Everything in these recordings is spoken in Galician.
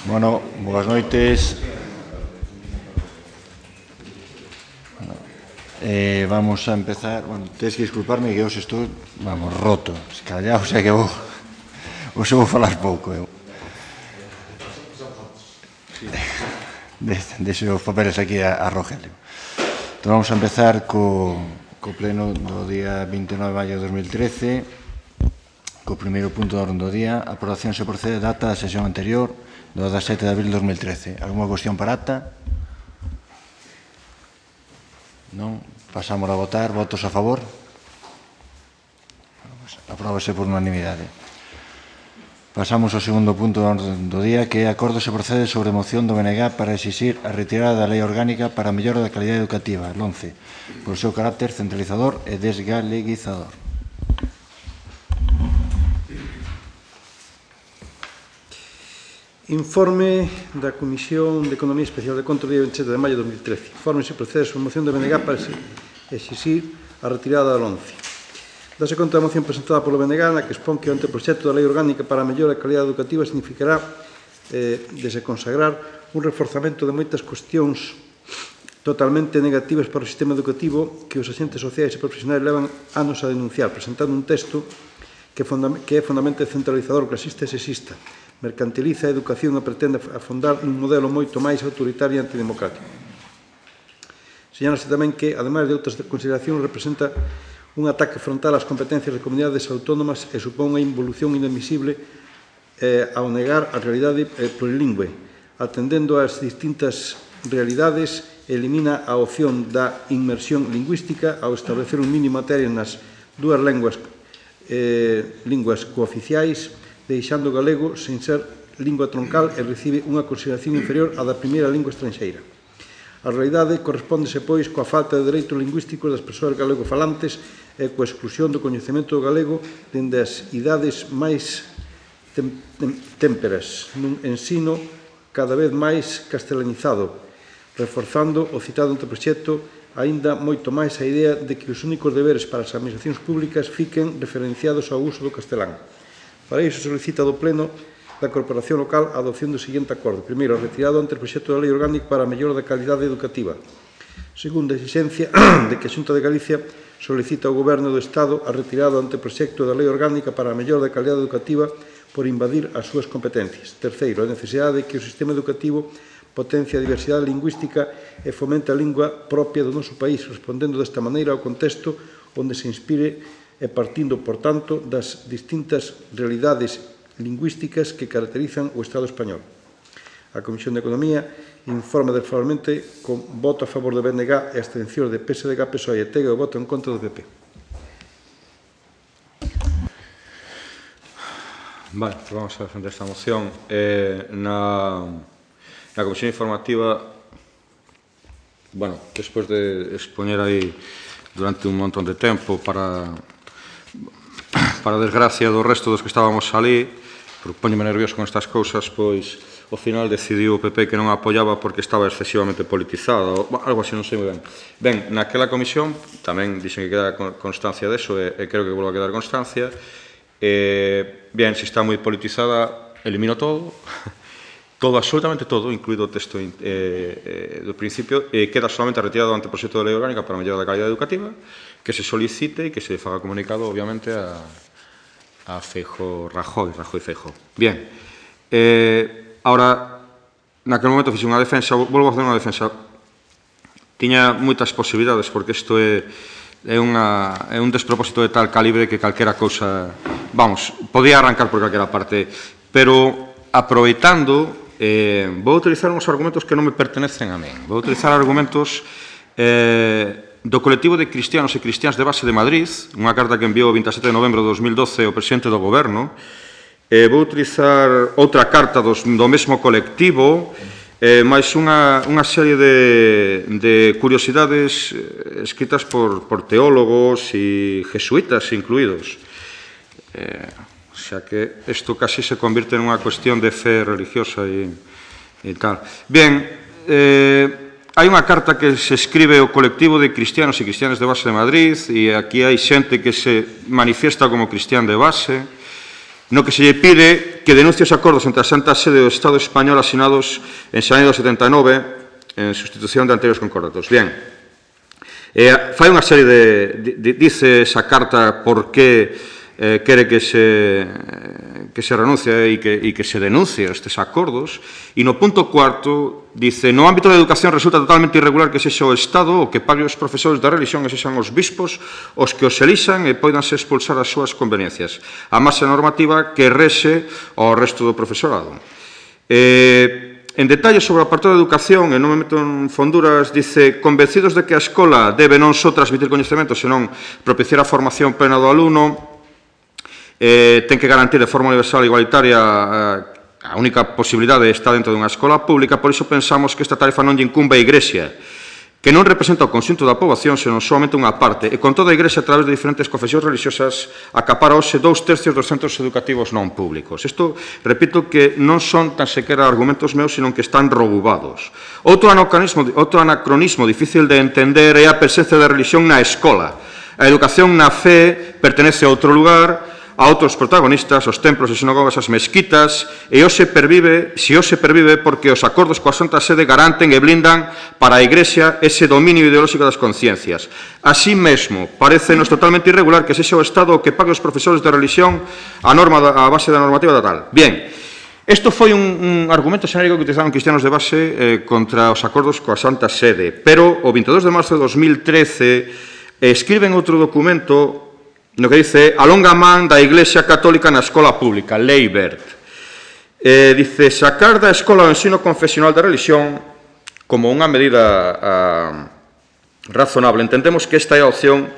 Bueno, boas noites. Vamos a empezar. Bueno, tens que disculparme que hoxe estou, vamos, roto. Escallado, xa que hoxe vou falar pouco. Deixo os papeles aquí a Rogelio. Entón vamos a empezar co pleno do día 29 de maio de 2013, co primeiro punto da orde do día. A aprobación se procede data da sesión anterior, do 17 de abril de 2013. Alguna cuestión para ata? Non? Pasamos a votar. Votos a favor? Apróbase por unanimidade. Pasamos ao segundo punto do día, que é acordo se procede sobre moción do BNG para exixir a retirada da Lei Orgánica para a mellora da calidade educativa, el 11, por seu carácter centralizador e desgaleguizador. Informe da Comisión de Economía Especial de Control do día 27 de maio de 2013. Informe se procede sobre moción do BNG para exixir a retirada do 11. Dase conta da moción presentada polo BNG, na que expón que o anteproxecto da Lei Orgánica para a mellora da calidade educativa significará de se consagrar un reforzamento de moitas cuestións totalmente negativas para o sistema educativo que os agentes sociais e profesionais levan anos a denunciar, presentando un texto que é fondamente centralizador, clasista e sexista, mercantiliza a educación e pretende afondar nun modelo moito máis autoritario e antidemocrático. Señálase tamén que, ademais de outras consideracións, representa un ataque frontal ás competencias de comunidades autónomas e supón unha involución inadmisible ao negar a realidade plurilingüe. Atendendo ás distintas realidades, elimina a opción da inmersión lingüística ao establecer un mínimo materia nas dúas linguas cooficiais, deixando o galego sen ser lingua troncal e recibe unha consideración inferior á da primeira lingua estranxeira. A realidade correspóndese, pois, coa falta de dereitos lingüísticos das persoas galego-falantes e coa exclusión do coñecemento do galego dende as idades máis témperas, nun ensino cada vez máis castelanizado, reforzando o citado anteproxecto aínda moito máis a idea de que os únicos deberes para as administracións públicas fiquen referenciados ao uso do castelán. Para iso solicita do Pleno da Corporación Local a adopción do seguinte acordo. Primeiro, a retirada do anteproxecto da Lei Orgánica para a mellora da calidade educativa. Segundo, a exigencia de que a Xunta de Galicia solicita ao Goberno do Estado a retirada do anteproxecto da Lei Orgánica para a mellora da calidade educativa por invadir as súas competencias. Terceiro, a necesidade de que o sistema educativo potencie a diversidade lingüística e fomente a lingua propia do noso país, respondendo desta maneira ao contexto onde se inspire e partindo, por tanto, das distintas realidades lingüísticas que caracterizan o Estado español. A Comisión de Economía informa desfavorablemente con voto a favor do BNG e abstención de PSDG, PSOE e TEG e o voto en contra do PP. Vale, pues vamos a defender esta moción. Na Comisión Informativa, bueno, despois de expoñer aí durante un montón de tempo para desgracia do resto dos que estábamos ali, porque poñome nervioso con estas cousas, pois ao final decidiu o PP que non a apoiaba porque estaba excesivamente politizada, ou algo así, non sei moi ben. Ben, naquela comisión tamén dixen que queda constancia deso, e creo que volve a quedar constancia. Ben, se está moi politizada, elimino todo, todo, absolutamente todo, incluído o texto do principio, e queda solamente a retirada do anteproxecto da Lei Orgánica para a mellora da calidade educativa, que se solicite e que se faga comunicado, obviamente, a Feijóo, Rajoy Feijóo. Bien, ahora, naquele momento fixe unha defensa, volvo a facer unha defensa. Tiña moitas posibilidades, porque isto é un despropósito de tal calibre que calquera cousa, vamos, podía arrancar por calquera parte, pero aproveitando, vou utilizar uns argumentos que non me pertenecen a min. Vou utilizar argumentos do colectivo de cristianos e cristiáns de base de Madrid, unha carta que enviou o 27 de novembro de 2012 ao presidente do Goberno. Vou utilizar outra carta do mesmo colectivo, máis unha serie de curiosidades escritas por teólogos e jesuítas incluídos. Xa que isto casi se convirte nunha cuestión de fe religiosa e tal. Bien, hai unha carta que se escribe ao colectivo de cristianos e cristianas de base de Madrid, e aquí hai xente que se manifiesta como cristián de base, no que se lle pide que denuncie os acordos entre a Santa Sede e o Estado español asinados en xaneiro do 79 en sustitución de anteriores concordatos. Bien, fai unha serie dice esa carta por que quere que se renuncie e que se denuncie estes acordos, e no punto cuarto dice: no ámbito da educación resulta totalmente irregular que sexa o Estado o que pague os profesores da religión e sexan os bispos os que os elixan e poidanse expulsar as súas conveniencias. A masa normativa que rexe ao resto do profesorado. En detalle sobre o apartado de educación, e non me meto en fonduras, dice: convencidos de que a escola debe non só transmitir coñecemento, senón propiciar a formación plena do alumno, ten que garantir de forma universal e igualitaria a única posibilidade está dentro dunha escola pública. Por iso pensamos que esta tarefa non lle incumbe a Igrexa, que non representa o conxunto da poboación, senón somente unha parte, e con toda a Igrexa, a través de diferentes confesións religiosas, acapara hoxe 2/3 dos centros educativos non públicos. Isto, repito, que non son tan sequera argumentos meus, senón que están robubados. Outro anacronismo difícil de entender é a presencia da religión na escola. A educación na fe pertenece a outro lugar, a outros protagonistas, os templos e sinagogas, as mesquitas, e hoxe pervive porque os acordos coa Santa Sede garanten e blindan para a Igrexa ese dominio ideolóxico das conciencias. Así mesmo, parecenos totalmente irregular que sexa o Estado o que pague os profesores de religión a base da normativa da tal. Bien, isto foi un argumento xenérico que utilizaron cristianos de base contra os acordos coa Santa Sede, pero o 22 de marzo de 2013 escriben outro documento no que dice: a longa man da Iglesia Católica na escola pública, Lei Wert. Dice: sacar da escola o ensino confesional da religión como unha medida razonable. Entendemos que esta é a opción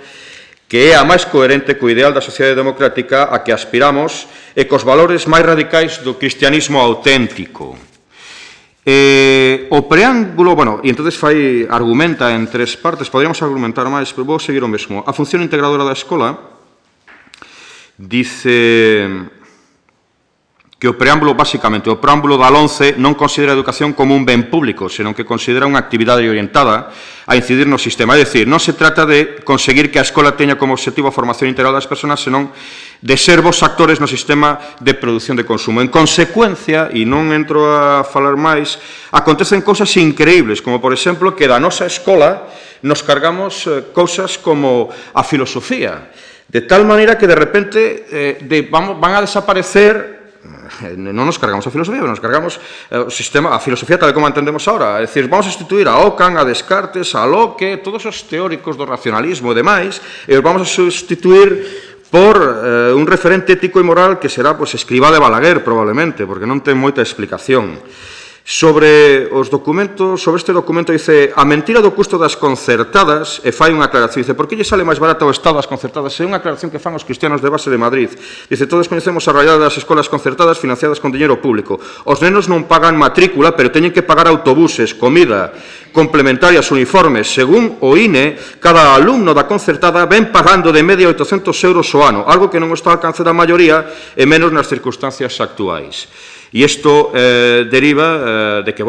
que é a máis coherente co ideal da sociedade democrática a que aspiramos e cos valores máis radicais do cristianismo auténtico. O preámbulo, e entonces argumenta en 3 partes, poderíamos argumentar máis, pero vou seguir o mesmo. A función integradora da escola, dice que o preámbulo, basicamente, o preámbulo da LOMCE non considera a educación como un ben público, senón que considera unha actividade orientada a incidir no sistema. É dicir, non se trata de conseguir que a escola teña como objetivo a formación integral das persoas, senón de ser vos actores no sistema de produción de consumo. En consecuencia, e non entro a falar máis, acontecen cousas increíbles, como, por exemplo, que da nosa escola nos cargamos cousas como a filosofía, de tal maneira que de repente van a desaparecer. Non nos cargamos a filosofía, nos cargamos o sistema, a filosofía tal como entendemos ahora. É dicir, vamos a sustituir a Ockham, a Descartes, a Locke, todos os teóricos do racionalismo e demais, e os vamos a sustituir por un referente ético e moral que será Escrivá de Balaguer, probablemente, porque non ten moita explicación. Sobre este documento dice: a mentira do custo das concertadas, e fai unha aclaración, dice: por que lle sale máis barato ao Estado as concertadas? É unha aclaración que fan os cristianos de base de Madrid. Dice: todos coñecemos a realidade das escolas concertadas financiadas con diñeiro público. Os nenos non pagan matrícula, pero teñen que pagar autobuses, comida, complementarias, uniformes. Según o INE, cada alumno da concertada ven pagando de media 800 euros o ano, algo que non está ao alcance da maioría e menos nas circunstancias actuais. E isto deriva de que,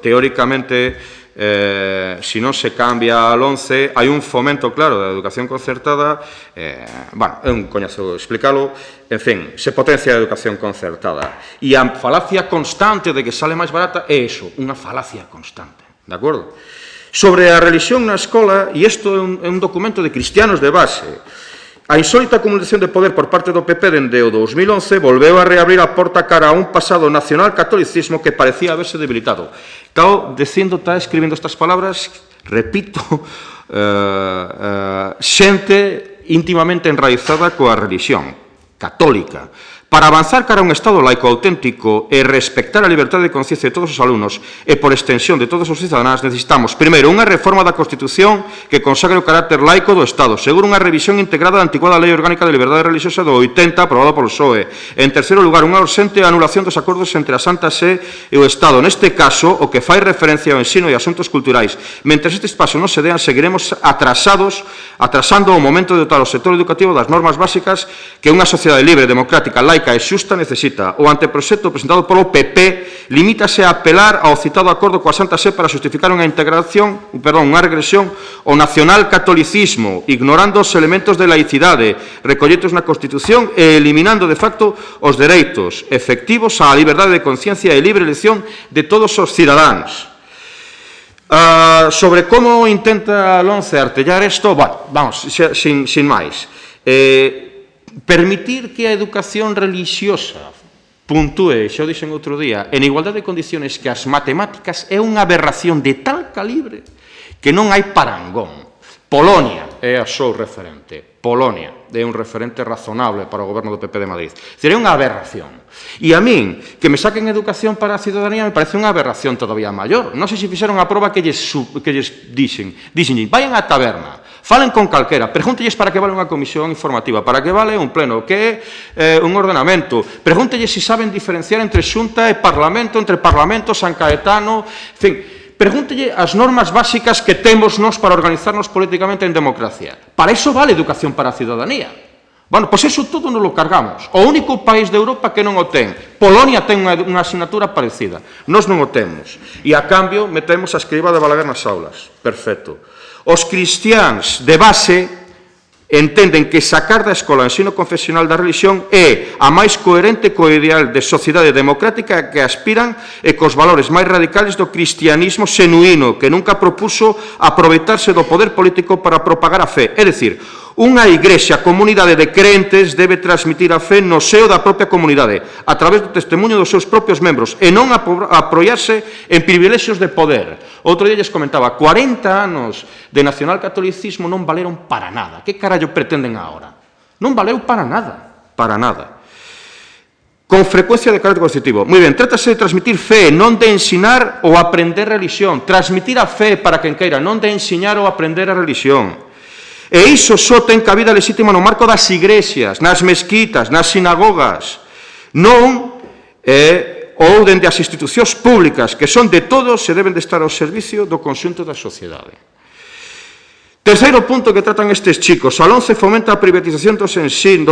teóricamente, se non se cambia a LOMCE, hai un fomento claro da educación concertada, é un coñazo explicalo, en fin, se potencia a educación concertada. E a falacia constante de que sale máis barata é iso, unha falacia constante, de acordo? Sobre a religión na escola, e isto é un documento de cristianos de base, a insólita acumulación de poder por parte do PP dende o 2011 volveu a reabrir a porta cara a un pasado nacional catolicismo que parecía haberse debilitado. Está escribindo estas palabras, repito, xente íntimamente enraizada coa religión católica. Para avanzar cara a un Estado laico auténtico e respectar a liberdade de conciencia de todos os alumnos e, por extensión, de todos os cidadáns, necesitamos, primeiro, unha reforma da Constitución que consagre o carácter laico do Estado. Segundo, unha revisión integrada da antiquada Lei Orgánica de Liberdade Religiosa do 80, aprobada polo PSOE. En terceiro lugar, unha urxente anulación dos acordos entre a Santa Sé e o Estado. Neste caso, o que fai referencia ao ensino e asuntos culturais. Mentres estes pasos non se dean, seguiremos atrasando o momento de dotar o sector educativo das normas básicas que unha sociedade libre, democrática, laica laica e xusta necesita. O anteproxecto presentado polo PP limítase a apelar ao citado acordo coa Santa Sé para justificar unha regresión ao nacional-catolicismo, ignorando os elementos de laicidade recolletos na Constitución e eliminando de facto os dereitos efectivos á liberdade de conciencia e libre elección de todos os cidadáns. Sobre como intenta Lomce artellar isto, bueno, vamos, sin máis. Permitir que a educación religiosa puntúe, xa o dixen outro día, en igualdade de condiciones que as matemáticas é unha aberración de tal calibre que non hai parangón. Polonia é a súa referente. Polonia é un referente razonable para o goberno do PP de Madrid. Sería unha aberración. E a min, que me saquen educación para a ciudadanía, me parece unha aberración todavía maior. Non sei se fixeron a proba que lles dixen. Dixenlle, vayan á taberna, falen con calquera, pregúntelles para que vale unha comisión informativa, para que vale un pleno, que é un ordenamento, pregúntelles se saben diferenciar entre xunta e parlamento, entre parlamento, San Caetano, en fin, pregúntelle as normas básicas que temos nós para organizarnos políticamente en democracia. Para iso vale educación para a ciudadanía. Bueno, pois eso todo nos lo cargamos. O único país de Europa que non o ten. Polonia ten unha asignatura parecida. Nós non o temos. E, a cambio, metemos a escriba de Balaguer nas aulas. Perfecto. Os cristiáns de base entenden que sacar da escola o ensino confesional da religión é a máis coherente co ideal de sociedade democrática que aspiran e cos valores máis radicales do cristianismo xenuíno, que nunca propuso aproveitarse do poder político para propagar a fe. É dicir, unha igrexa, comunidade de crentes, debe transmitir a fe no seo da propia comunidade, a través do testemunho dos seus propios membros, e non apoiarse en privilexios de poder. Outro día lles comentaba, 40 anos de nacionalcatolicismo non valeron para nada. Que carallo pretenden agora? Non valeu para nada, para nada. Con frecuencia de carácter constitutivo. Moi ben, trátase de transmitir fe, non de ensinar ou aprender religión. Transmitir a fe para quen queira, non de ensinar ou aprender a religión. E iso só ten cabida lexítima no marco das igrexas, nas mezquitas, nas sinagogas, non ou dende as institucións públicas, que son de todos e deben de estar ao servicio do conxunto da sociedade. Terceiro punto que tratan estes chicos. A LOMCE fomenta a privatización do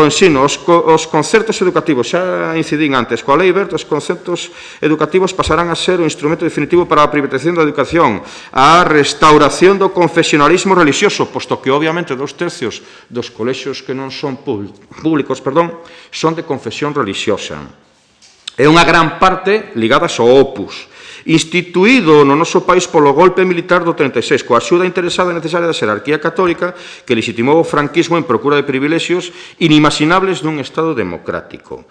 ensino, os concertos educativos. Xa incidín antes, coa Lei Wert, os concertos educativos pasarán a ser o instrumento definitivo para a privatización da educación, a restauración do confesionalismo religioso, posto que, obviamente, 2/3 dos colexios que non son públicos, son de confesión religiosa. É unha gran parte ligadas ao Opus, instituído no noso país polo golpe militar do 36, coa axuda interesada e necesaria da xerarquía católica que legitimou o franquismo en procura de privilexios inimaginables dun Estado democrático.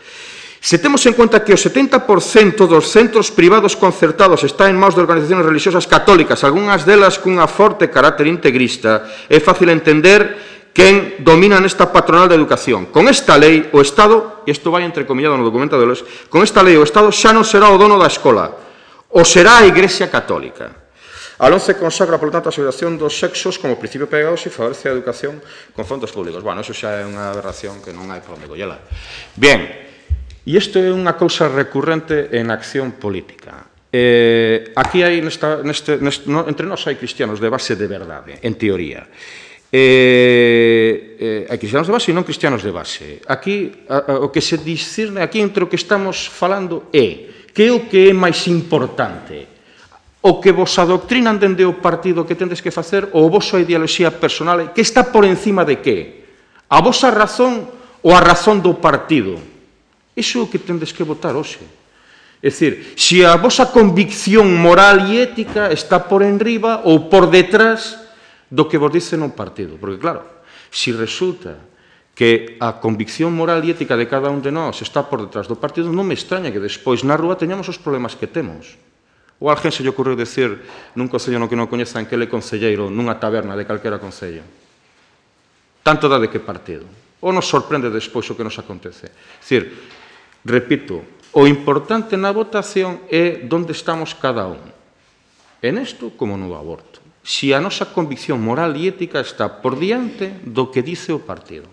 Se temos en conta que o 70% dos centros privados concertados está en maus de organizacións religiosas católicas, algunhas delas cunha forte carácter integrista, é fácil entender quen domina nesta patronal da educación. Con esta lei, o Estado, e isto vai entrecomillado no documento de Lois, con esta lei o Estado xa non será o dono da escola, o será a Igrexa Católica. A LOMCE consagra, por tanto, a segregación dos sexos como principio pedagóxico e favorece a educación con fondos públicos. Bueno, eso xa é unha aberración que non hai por onde collela. Bien, e isto é unha cousa recurrente en acción política. Aquí hai, entre nós hai cristianos de base de verdade, en teoría. Hai cristianos de base e non cristianos de base. Aquí, o que se discerne aquí entre o que estamos falando é que é o que é máis importante, o que vos adoctrinan dende o partido que tendes que facer ou a vosa ideoloxía personal, que está por encima de que? A vosa razón ou a razón do partido? Iso é o que tendes que votar hoxe. É dicir, se a vosa convicción moral e ética está por enriba ou por detrás do que vos dicen un partido. Porque, claro, se resulta que a convicción moral e ética de cada un de nós está por detrás do partido, non me extraña que despois na rúa teñamos os problemas que temos. Ou a alguén se lle ocurriu decir nun concello no que non coñezan que ele é concelleiro nunha taberna de calquera concello. Tanto dá de que partido. Ou nos sorprende despois o que nos acontece. É dicir, repito, o importante na votación é onde estamos cada un. En isto como no aborto. Se a nosa convicción moral e ética está por diante do que dice o partido.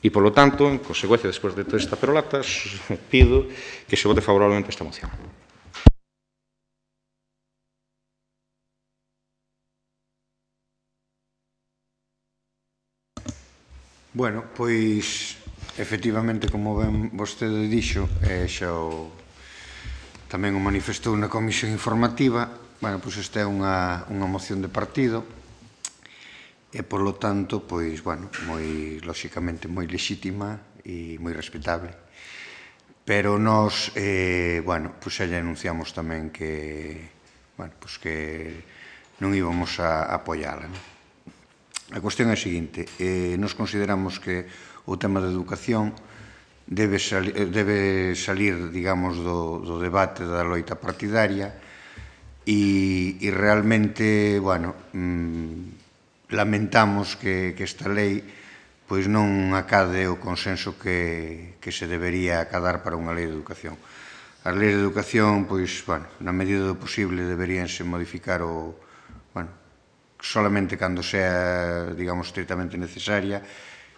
E, polo tanto, en consecuencia, despois de toda esta perolata, pido que se vote favorablemente esta moción. Bueno, pois efectivamente, como ben vostede dixo, xa tamén o manifestou na comisión informativa, pois esta é unha moción de partido e, polo tanto, pois, moi, lóxicamente, moi lexítima e moi respetable. Pero nós, pois xa lle anunciamos tamén que, pois que non íbamos a apoiala. A cuestión é a seguinte, nos consideramos que o tema da educación debe salir, digamos, do debate da loita partidaria e realmente, lamentamos que esta lei pois non acade o consenso que se debería acadar para unha lei de educación. As leis de educación, pois, na medida do posible, deberíanse modificar solamente cando sea, digamos, estritamente necesaria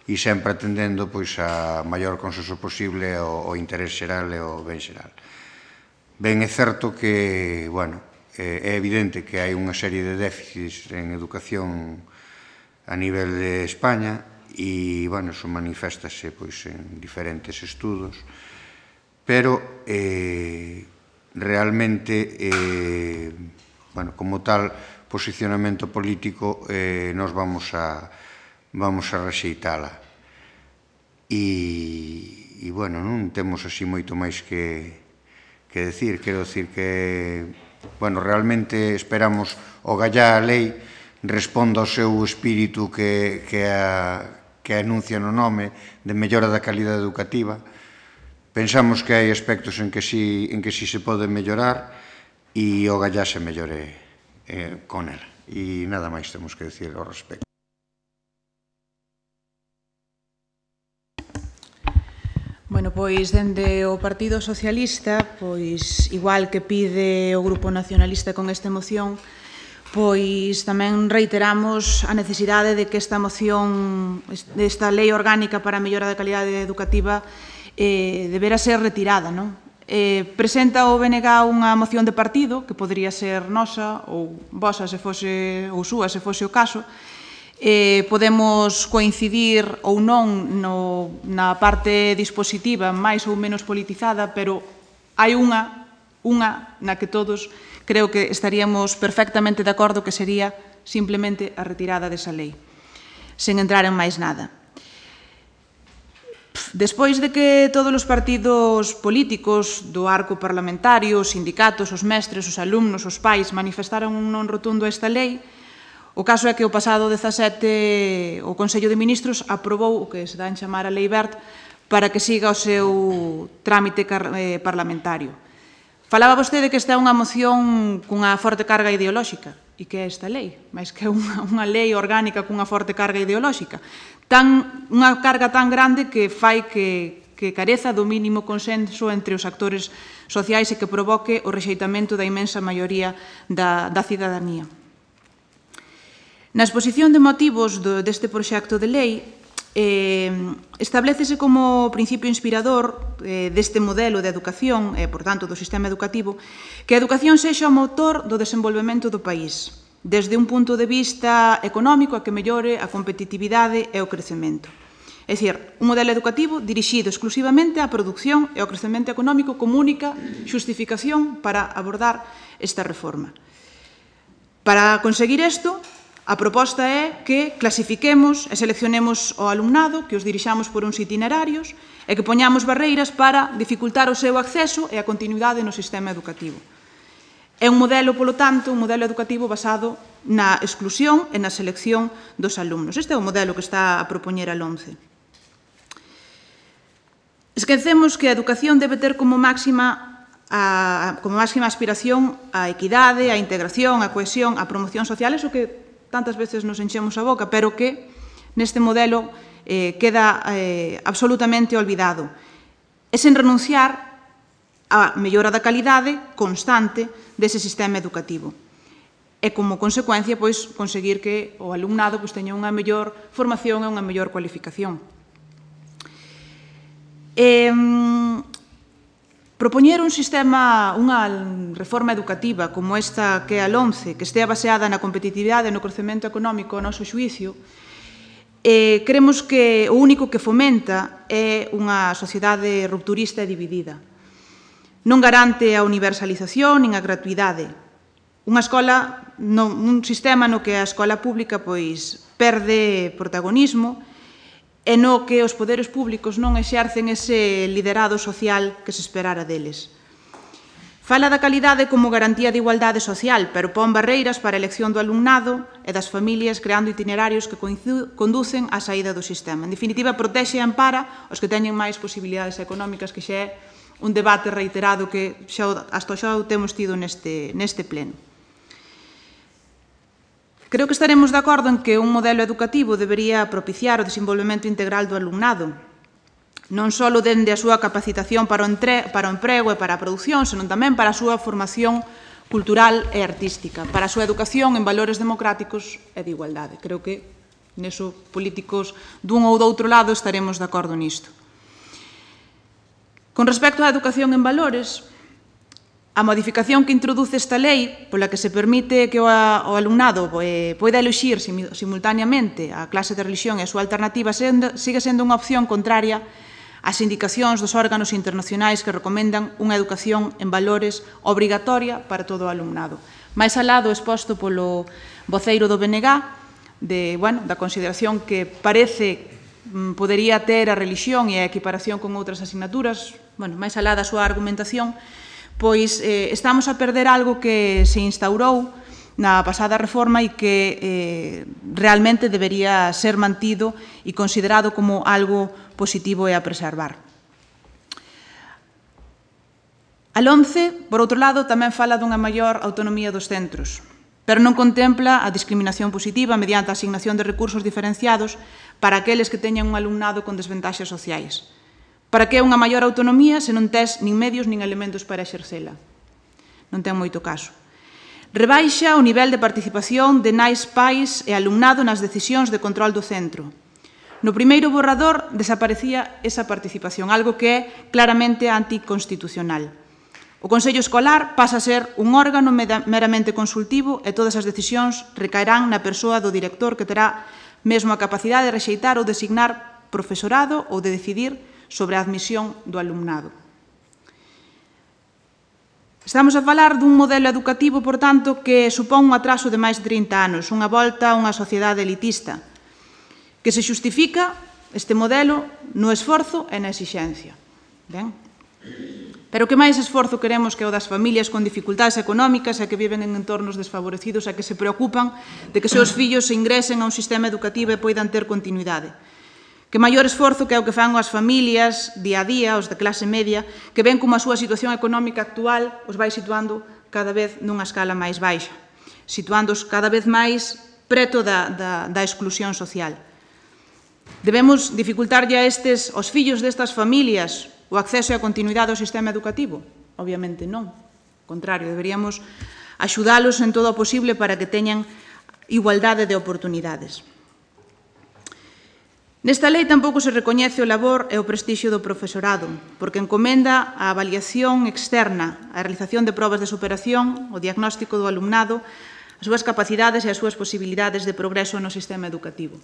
e sempre atendendo pois a maior consenso posible ao interés xeral e ao ben xeral. Ben, é certo que, é evidente que hai unha serie de déficits en educación a nivel de España e, iso maniféstase en diferentes estudos, pero realmente, como tal posicionamento político, nos vamos a rexeitala. E, non temos así moito máis que decir. Quero decir que, realmente esperamos o gallá a lei responda ao seu espírito que anuncia no nome de mellora da calidade educativa. Pensamos que hai aspectos en que sí se pode mellorar e o gallá se mellore con ela. E nada máis temos que decir ao respecto. Bueno, pois, dende o Partido Socialista, pois, igual que pide o Grupo Nacionalista con esta moción, pois tamén reiteramos a necesidade de que esta moción, esta lei orgánica para a mellora da calidade educativa, debera ser retirada, non? Presenta o BNG unha moción de partido, que podería ser nosa ou vosa se fose, ou súa se fose o caso. Podemos coincidir ou non na parte dispositiva máis ou menos politizada, pero hai unha na que todos creo que estaríamos perfectamente de acordo, que sería simplemente a retirada desa lei, sen entrar en máis nada. Despois de que todos os partidos políticos do arco parlamentario, os sindicatos, os mestres, os alumnos, os pais, manifestaron un non rotundo a esta lei, o caso é que o pasado 17 o Consello de Ministros aprobou o que se dá en chamar a Lei Wert para que siga o seu trámite parlamentario. Falaba vostede que esta é unha moción cunha forte carga ideolóxica. E que é esta lei? Mais que unha lei orgánica cunha forte carga ideolóxica. Unha carga tan grande que fai que careza do mínimo consenso entre os actores sociais e que provoque o rexeitamento da inmensa maioría da cidadanía. Na exposición de motivos deste proxecto de lei, establécese como principio inspirador deste modelo de educación e, por tanto, do sistema educativo, que a educación sexa o motor do desenvolvemento do país, desde un punto de vista económico a que mellore a competitividade e o crecemento. É dicir, un modelo educativo dirixido exclusivamente á produción e ao crecemento económico como única xustificación para abordar esta reforma. Para conseguir isto, a proposta é que clasifiquemos e seleccionemos o alumnado, que os dirixamos por uns itinerarios e que poñamos barreiras para dificultar o seu acceso e a continuidade no sistema educativo. É un modelo, polo tanto, un modelo educativo basado na exclusión e na selección dos alumnos. Este é o modelo que está a propoñer a LOMCE. Esquecemos que a educación debe ter como máxima aspiración a equidade, a integración, a cohesión, a promoción social, eso que tantas veces nos enchemos a boca, pero que neste modelo queda absolutamente olvidado. É sen renunciar á mellora da calidade constante dese sistema educativo. E, como consecuencia, conseguir que o alumnado teña unha mellor formación e unha mellor cualificación. Propoñer un sistema, unha reforma educativa como esta que é a LOMCE, que estea baseada na competitividade e no crecemento económico ao noso xuízo, Creemos que o único que fomenta é unha sociedade rupturista e dividida. Non garante a universalización nin a gratuidade. Un sistema no que a escola pública perde protagonismo e no que os poderes públicos non exercen ese liderado social que se esperara deles. Fala da calidade como garantía de igualdade social, pero pon barreiras para a elección do alumnado e das familias creando itinerarios que conducen á saída do sistema. En definitiva, protexe e ampara os que teñen máis posibilidades económicas, que xa é un debate reiterado que hasta xa o temos tido neste pleno. Creo que estaremos de acordo en que un modelo educativo debería propiciar o desenvolvemento integral do alumnado, non só dende a súa capacitación para o emprego e para a produción, senón tamén para a súa formación cultural e artística, para a súa educación en valores democráticos e de igualdade. Creo que neso políticos dun ou do outro lado estaremos de acordo nisto. Con respecto á educación en valores, a modificación que introduce esta lei, pola que se permite que o alumnado poida eluxir simultaneamente a clase de religión e a súa alternativa, sigue sendo unha opción contraria ás indicacións dos órganos internacionais que recomendan unha educación en valores obrigatoria para todo o alumnado. Mais alá do exposto polo voceiro do BNG, da consideración que parece podería ter a religión e a equiparación con outras asignaturas, máis alá da súa argumentación, pois estamos a perder algo que se instaurou na pasada reforma e que realmente debería ser mantido e considerado como algo positivo e a preservar. A LOMCE, por outro lado, tamén fala dunha maior autonomía dos centros, pero non contempla a discriminación positiva mediante a asignación de recursos diferenciados para aqueles que teñan un alumnado con desventaxas sociais. Para que unha maior autonomía se non tes nin medios nin elementos para exercela? Non ten moito caso. Rebaixa o nivel de participación de nais, pais e alumnado nas decisións de control do centro. No primeiro borrador desaparecía esa participación, algo que é claramente anticonstitucional. O Consello Escolar pasa a ser un órgano meramente consultivo e todas as decisións recaerán na persoa do director, que terá mesmo a capacidade de rexeitar ou designar profesorado ou de decidir sobre a admisión do alumnado. Estamos a falar dun modelo educativo, por tanto, que supón un atraso de máis de 30 anos, unha volta a unha sociedade elitista, que se xustifica este modelo no esforzo e na exixencia. Ben? Pero que máis esforzo queremos que o das familias con dificultades económicas e que viven en entornos desfavorecidos e que se preocupan de que seus fillos se ingresen a un sistema educativo e poidan ter continuidade? Que maior esforzo que é o que fan as familias día a día, os de clase media, que ven como a súa situación económica actual os vai situando cada vez nunha escala máis baixa, situándoos cada vez máis preto da exclusión social. Debemos dificultarlle aos fillos destas familias o acceso e a continuidade ao sistema educativo? Obviamente non. Ao contrario, deberíamos axudalos en todo o posible para que teñan igualdade de oportunidades. Nesta lei tampouco se recoñece o labor e o prestixio do profesorado, porque encomenda a avaliación externa, a realización de probas de superación, o diagnóstico do alumnado, as súas capacidades e as súas posibilidades de progreso no sistema educativo.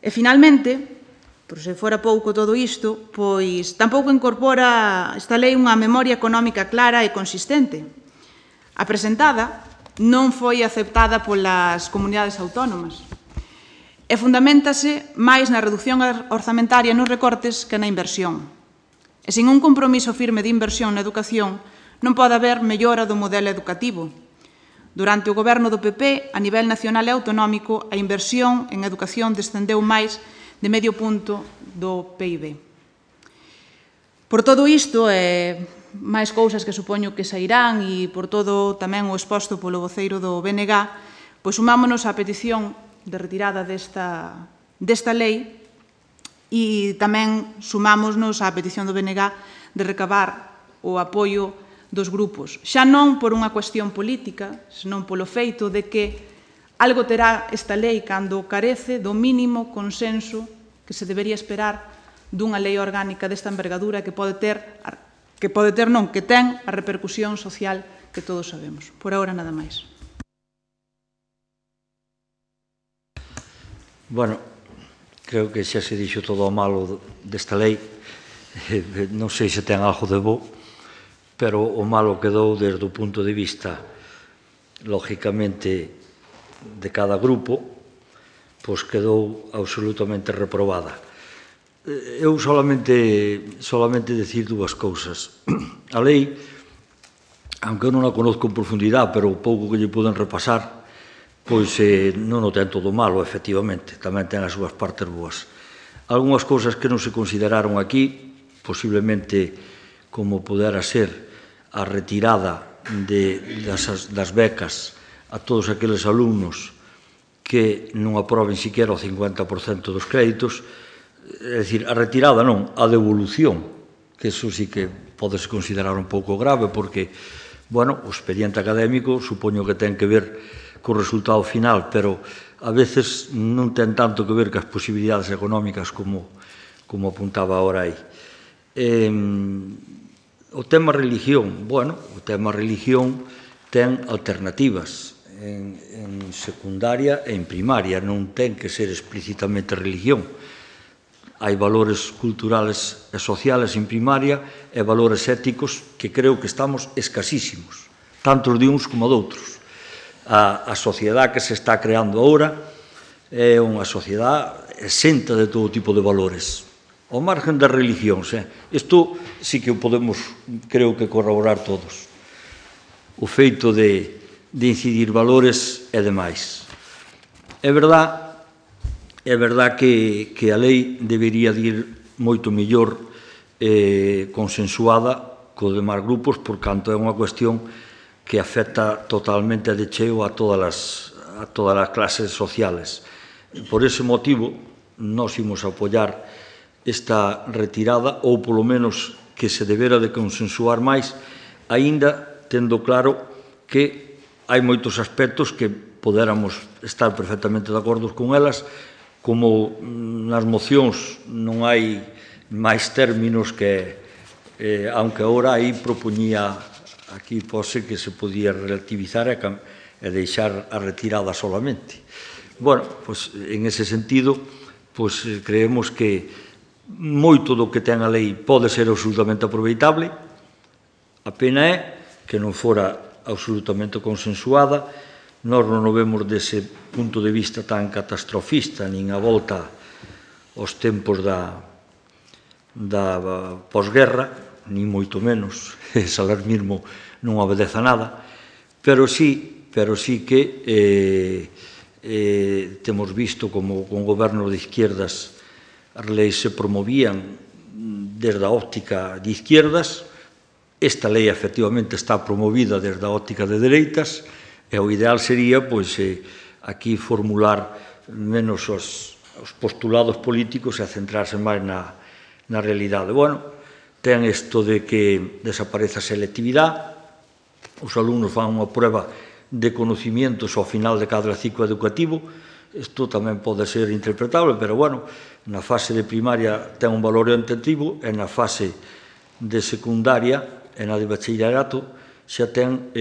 E, finalmente, por se fora pouco todo isto, pois tampouco incorpora esta lei unha memoria económica clara e consistente. A presentada non foi aceptada polas comunidades autónomas e fundamentase máis na reducción orzamentaria nos recortes que na inversión. E sen un compromiso firme de inversión na educación non pode haber mellora do modelo educativo. Durante o goberno do PP, a nivel nacional e autonómico, a inversión en educación descendeu máis de medio punto do PIB. Por todo isto, e máis cousas que supoño que sairán, e por todo tamén o exposto polo voceiro do BNG, pois sumámonos á petición de retirada desta lei e tamén sumámonos á petición do BNG de recabar o apoio dos grupos, xa non por unha cuestión política, senón polo feito de que algo terá esta lei cando carece do mínimo consenso que se debería esperar dunha lei orgánica desta envergadura que ten a repercusión social que todos sabemos. Por agora, nada máis. Bueno, creo que xa se dixo todo o malo desta lei. Non sei se ten algo de bo, pero o malo quedou desde o punto de vista, lógicamente, de cada grupo, pois quedou absolutamente reprobada. Eu solamente decir dúas cousas. A lei, aunque eu non a conozco en profundidade, pero o pouco que lle poden repasar, pois non o ten todo malo, efectivamente, tamén ten as súas partes boas. Algúnas cousas que non se consideraron aquí, posiblemente como pudera ser a retirada das becas a todos aqueles alumnos que non aproben siquiera o 50% dos créditos, é dicir, a retirada non, a devolución, que eso sí que podese considerar un pouco grave, porque, bueno, o expediente académico supoño que ten que ver co resultado final, pero a veces non ten tanto que ver cas posibilidades económicas como apuntaba ahora aí. O tema religión, bueno, o tema religión ten alternativas en secundaria e en primaria, non ten que ser explícitamente religión. Hai valores culturales e sociales en primaria e valores éticos que creo que estamos escasísimos, tanto de uns como de outros. A sociedade que se está creando agora é unha sociedade exenta de todo tipo de valores, ao margen das religións. Isto sí que o podemos, creo que, corroborar todos. O feito de incidir valores e demais. É verdad que a lei debería de ir moito mellor consensuada co demais grupos, por canto é unha cuestión que afecta totalmente de cheo a todas as clases sociales. Por ese motivo, nós imos apoiar esta retirada, ou polo menos que se debera de consensuar máis, aínda tendo claro que hai moitos aspectos que podéramos estar perfectamente de acordo con elas, como nas mocións non hai máis términos que, aunque agora aí propoñía aquí pose que se podía relativizar e deixar a retirada solamente. Bueno, pois, en ese sentido, pois, creemos que moito do que ten a lei pode ser absolutamente aproveitable. A pena é que non fora absolutamente consensuada. Nós non o vemos dese punto de vista tan catastrofista, nin a volta aos tempos da posguerra, nin moito menos, ese alarmismo non obedece a nada, pero sí que temos visto como con gobernos de izquierdas as leis se promovían desde a óptica de izquierdas. Esta lei efectivamente está promovida desde a óptica de dereitas, e o ideal sería, pois, aquí formular menos os postulados políticos e centrarse máis na realidade. Bueno, ten isto de que desaparece a selectividade, os alumnos fan unha prueba de conocimientos ao final de cada ciclo educativo. Isto tamén pode ser interpretable, pero, bueno, na fase de primaria ten un valor orientativo e na fase de secundaria e na de bachillerato xa ten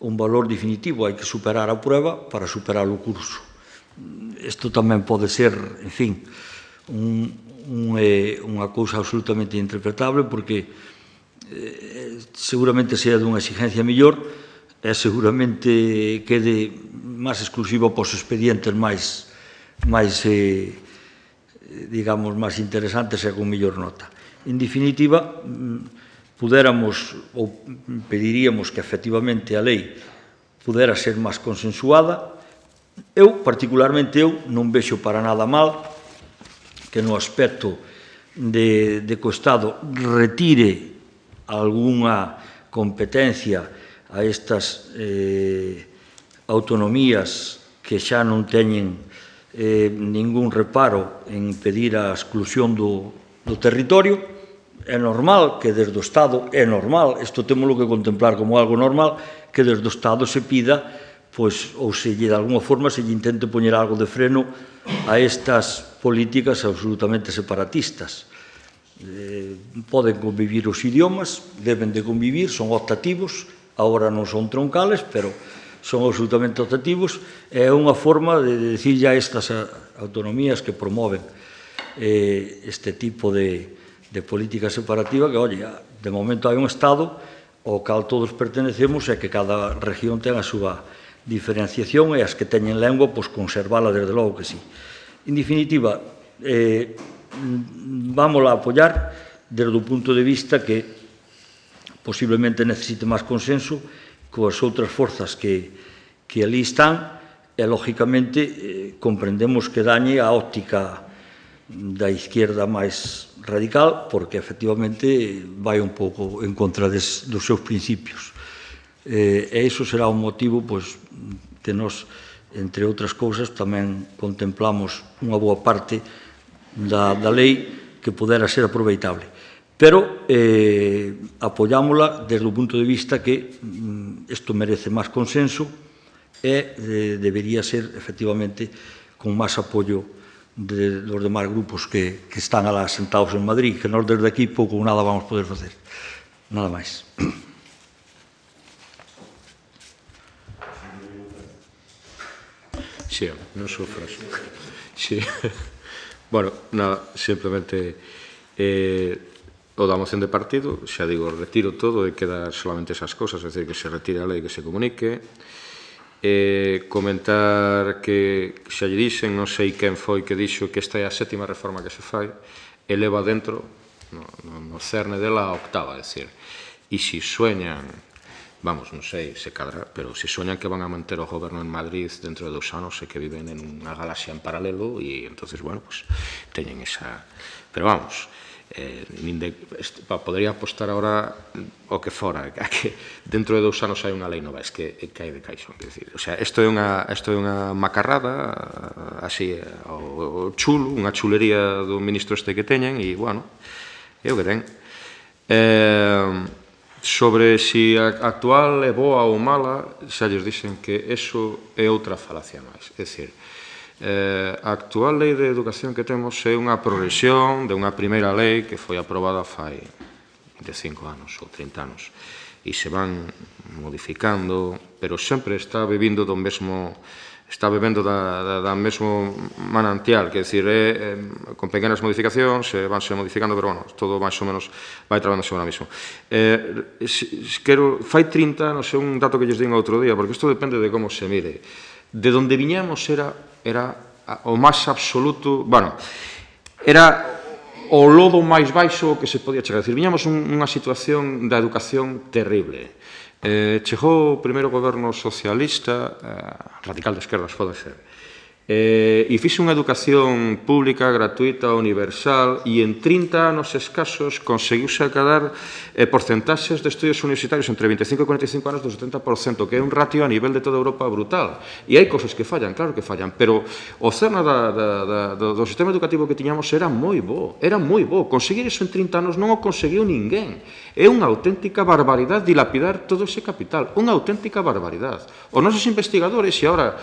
un valor definitivo. Hai que superar a prueba para superar o curso. Isto tamén pode ser, en fin, unha cousa absolutamente interpretable, porque seguramente sea dunha exigencia mellor e seguramente quede máis exclusivo para os expedientes máis digamos, máis interesantes e con mellor nota. En definitiva, pudéramos ou pediríamos que efectivamente a lei pudera ser máis consensuada. Particularmente, non vexo para nada mal que no aspecto de que o Estado retire algunha competencia a estas autonomías que xa non teñen ningún reparo en impedir a exclusión do territorio. É normal que desde o Estado, isto temos que contemplar como algo normal, que desde o Estado se pida, pois, ou se lle de alguma forma se lle intente poñer algo de freno a estas políticas absolutamente separatistas. Poden convivir os idiomas, deben de convivir, son optativos, agora non son troncales, pero son absolutamente objetivos, é unha forma de dicirlle a estas autonomías que promoven este tipo de política separativa que, oye, de momento hai un Estado ao cal todos pertenecemos e que cada región ten a súa diferenciación e as que teñen lengua, pois conservala desde logo que sí. En definitiva, vamos a apoiar desde o punto de vista que posiblemente necesite máis consenso coas outras forzas que ali están e, lógicamente, comprendemos que dañe a óptica da izquierda máis radical porque, efectivamente, vai un pouco en contra dos seus principios. E iso será un motivo que nos, entre outras cousas, tamén contemplamos unha boa parte da lei que pudera ser aproveitable. Pero apoiámola desde o punto de vista que isto merece máis consenso e debería ser, efectivamente, con máis apoio dos demais grupos que están alá sentados en Madrid, que nós desde aquí pouco ou nada vamos poder facer. Nada máis. Sí, non sufras. Sí. Bueno, nada, simplemente o da moción de partido, xa digo, retiro todo e queda solamente esas cosas, é dicir, que se retire a lei, que se comunique. Comentar que xa lle dixen, non sei quen foi que dixo que esta é a 7ª reforma que se fai, eleva dentro, no cerne dela, a 8ª, é dicir, e se sueñan, vamos, non sei se cadra, pero se sueñan que van a manter o goberno en Madrid dentro de 2 anos e que viven en unha galaxia en paralelo e entonces, bueno, pues teñen esa... Pero vamos, podría apostar ahora o que fora, que dentro de 2 anos hai unha lei nova, es que cae de caixón, quer dizer, o sea, isto é unha macarrada, así, o chulo, unha chulería do ministro este que teñen, e, bueno, é o que ten. Sobre se a actual é boa ou mala, xa lles dixen que eso é outra falacia máis, é dicir, a actual lei de educación que temos é unha progresión de unha primeira lei que foi aprobada fai 25 anos ou 30 anos e se van modificando, pero sempre está bebendo do mesmo mesmo manantial, que é dicir, con pequenas modificacións, vanse modificando, pero, bueno, todo máis ou menos vai trabando sobre o mismo. Fai 30 anos, é un dato que lles digo outro día, porque isto depende de como se mire. De onde viñamos era o máis absoluto, bueno, era o lodo máis baixo que se podía chegar. É dicir, viñamos unha situación da educación terrible. Chegou o primeiro goberno socialista, radical de esquerdas, pode ser, e fixe unha educación pública, gratuita, universal, e en 30 anos escasos conseguiuse acadar porcentaxes de estudios universitarios entre 25 e 45 anos do 70%, que é un ratio a nivel de toda Europa brutal. E hai cosas que fallan, claro que fallan, pero o cerno do sistema educativo que tiñamos era moi bo, Conseguir iso en 30 anos non o conseguiu ninguén. É unha auténtica barbaridade dilapidar todo ese capital, unha auténtica barbaridade. Os nosos investigadores, e agora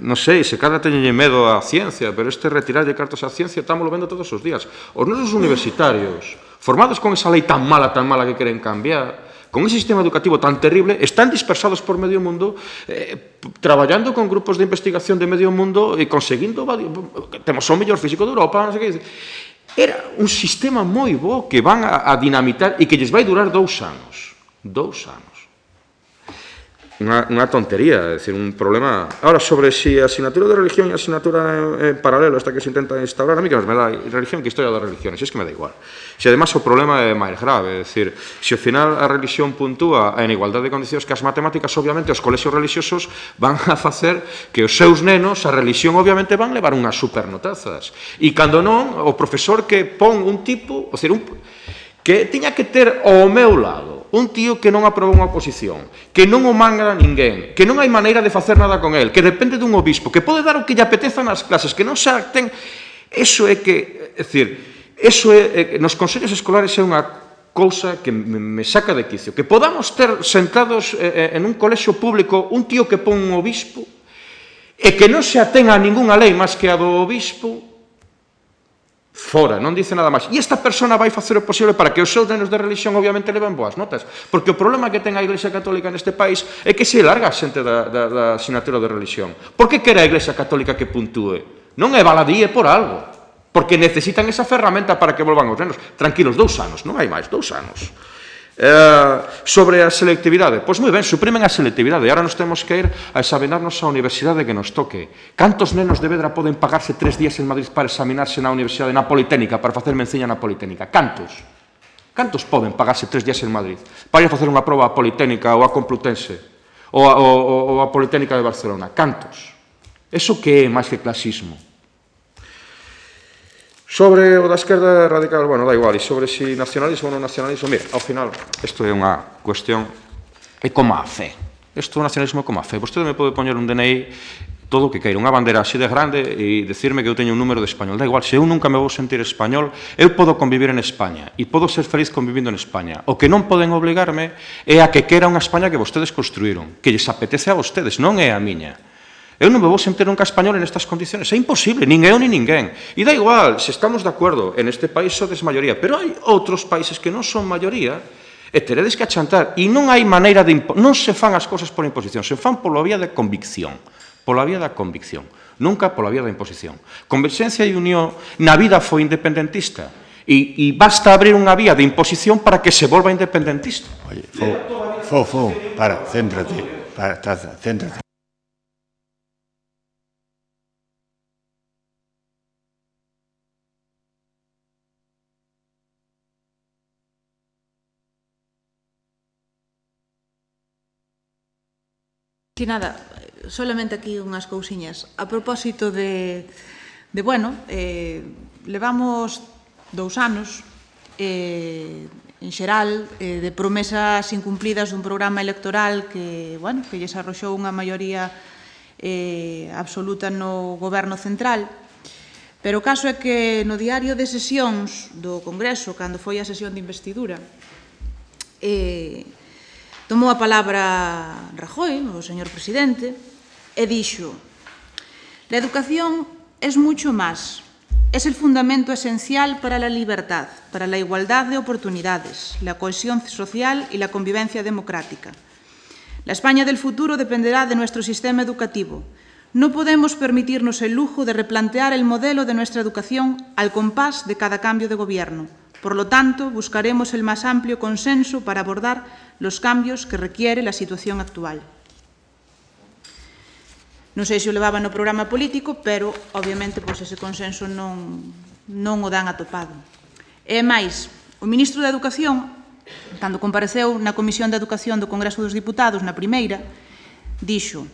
non sei, se cada teñenlle medo á ciencia, pero retirarlle cartos á ciencia estamos vendo todos os días. Os nosos universitarios, formados con esa lei tan mala que queren cambiar, con ese sistema educativo tan terrible, están dispersados por medio mundo, traballando con grupos de investigación de medio mundo e conseguindo, temos o mellor físico de Europa, non sei que. Era un sistema moi bo que van a dinamitar e que lles vai durar 2 anos. 2 anos. Unha tontería, é dicir, un problema... Ahora, sobre si a asignatura de religión e a asignatura en paralelo, esta que se intenta instaurar, a mí que me da religión que historia das religiones, es que me da igual. Se además o problema é máis grave, é dicir, se ao final a religión puntúa en igualdade de condicións que as matemáticas, obviamente, os colexios religiosos van a facer que os seus nenos, a religión, obviamente, van levar unhas supernotazas. E cando non, o profesor que pon un tipo, ou seja, que tiña que ter ao meu lado un tío que non aproba unha oposición, que non o manga ninguén, que non hai maneira de facer nada con el, que depende dun obispo, que pode dar o que lle apeteza nas clases, que non xa ten... Eso é que... É dicir, eso é... Nos consellos escolares é unha cousa que me saca de quicio. Que podamos ter sentados en un colexio público un tío que pon un obispo e que non se atenga a ningunha lei máis que a do obispo, Fora, non dice nada máis. E esta persona vai facer o posible para que os seus nenos de religión obviamente leven boas notas. Porque o problema que ten a Iglesia Católica neste país é que se larga a xente da asignatura de religión. Por que quere a Iglesia Católica que puntúe? Non é baladíe por algo. Porque necesitan esa ferramenta para que volvan os nenos. Tranquilos, 2 anos, non hai máis, 2 anos. Sobre a selectividade, pois moi ben, suprimen a selectividade e agora nos temos que ir a examinarnos a universidade que nos toque. Cantos nenos de Vedra poden pagarse 3 días en Madrid para examinarse na universidade, na Politécnica, para facer menciña na Politécnica? Cantos? Cantos poden pagarse 3 días en Madrid para ir a facer unha proba a Politécnica ou a Complutense ou a Politécnica de Barcelona? Cantos? Eso que é máis que clasismo? Sobre o da esquerda radical, bueno, da igual, e sobre si nacionalismo ou non nacionalismo, mira, ao final, isto é unha cuestión, é como a fe. Isto é nacionalismo como a fe. Vostede me pode poñer un DNI, todo o que queira, unha bandera así de grande e decirme que eu teño un número de español. Da igual, se eu nunca me vou sentir español, eu podo convivir en España e podo ser feliz convivindo en España. O que non poden obligarme é a que quera unha España que vostedes construíron, que lles apetece a vostedes, non é a miña. Eu non me vou sentir nunca español en estas condiciones. É imposible, nin eu nin ninguén. E da igual, se estamos de acordo, en este país sodes maioría, pero hai outros países que non son maioría e teredes que achantar. E non hai maneira de... Non se fan as cousas por imposición, se fan pola vía de convicción. Pola vía da convicción. Nunca pola vía da imposición. Converxencia e Unión na vida foi independentista. E basta abrir unha vía de imposición para que se volva independentista. Oye, para, céntrate. Céntrate. Si nada, solamente aquí unhas cousiñas. A propósito bueno, levamos 2 anos, en xeral, de promesas incumplidas dun programa electoral que, bueno, que lles arroxou unha maioría absoluta no goberno central. Pero o caso é que no diario de sesións do Congreso, cando foi a sesión de investidura, tomou a palabra Rajoy, o señor presidente, e dixo: la educación es mucho más, es el fundamento esencial para la libertad, para la igualdad de oportunidades, la cohesión social y la convivencia democrática. La España del futuro dependerá de nuestro sistema educativo. No podemos permitirnos el lujo de replantear el modelo de nuestra educación al compás de cada cambio de gobierno. Por lo tanto, buscaremos el más amplio consenso para abordar los cambios que requiere la situación actual. Non sei se o levaba no programa político, pero, obviamente, ese consenso non o dan atopado. E máis, o ministro de Educación, cando compareceu na Comisión de Educación do Congreso dos Diputados, na primeira, dixo: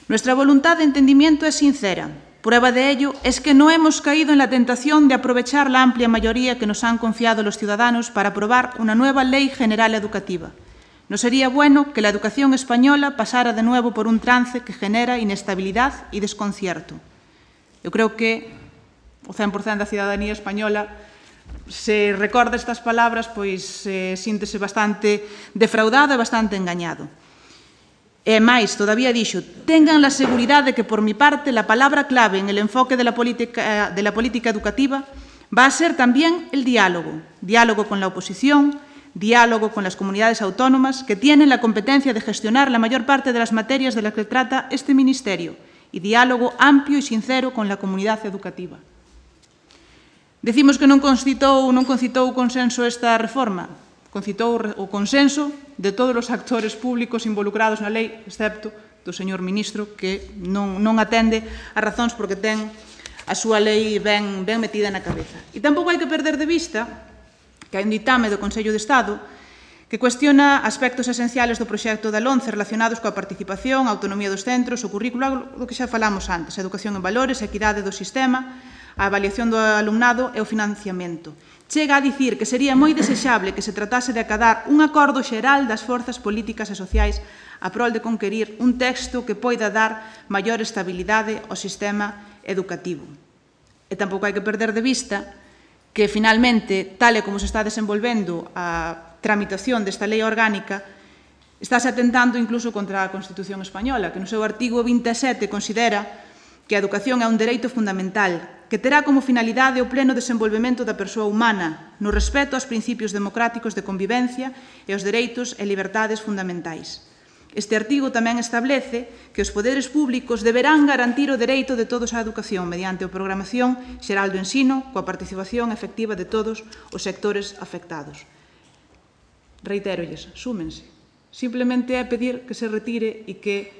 «Nuestra voluntad de entendimiento es sincera. Prueba de ello es que no hemos caído en la tentación de aprovechar la amplia mayoría que nos han confiado los ciudadanos para aprobar una nueva Ley General Educativa. No sería bueno que la educación española pasara de nuevo por un trance que genera inestabilidad y desconcierto». Eu creo que o 100% da cidadanía española, se recorda estas palabras, pois síntese bastante defraudado e bastante engañado. E máis, todavía dixo: «Tengan la seguridad de que, por mi parte, la palabra clave en el enfoque de la política educativa va a ser también el diálogo. Diálogo con la oposición, diálogo con las comunidades autónomas que tienen la competencia de gestionar la mayor parte de las materias de las que trata este Ministerio, y diálogo amplio y sincero con la comunidad educativa». Decimos que non concitou consenso esta reforma. Concitou o consenso de todos os actores públicos involucrados na lei, excepto do señor ministro, que non atende as razóns porque ten a súa lei ben metida na cabeza. E tampouco hai que perder de vista que hai un ditame do Consello de Estado que cuestiona aspectos esenciales do proxecto da LOMCE relacionados coa participación, a autonomía dos centros, o currículo, do que xa falamos antes, a educación en valores, a equidade do sistema, a avaliación do alumnado e o financiamento. Chega a dicir que sería moi desexable que se tratase de acadar un acordo xeral das forzas políticas e sociais a prol de conquerir un texto que poida dar maior estabilidade ao sistema educativo. E tampouco hai que perder de vista que, finalmente, tal e como se está desenvolvendo a tramitación desta lei orgánica, estáse atentando incluso contra a Constitución española, que no seu artigo 27 considera que a educación é un dereito fundamental que terá como finalidade o pleno desenvolvemento da persoa humana no respeto aos principios democráticos de convivencia e aos dereitos e liberdades fundamentais. Este artigo tamén establece que os poderes públicos deberán garantir o dereito de todos á educación mediante a programación xeral do ensino coa participación efectiva de todos os sectores afectados. Reitérolles, súmense. Simplemente é pedir que se retire e que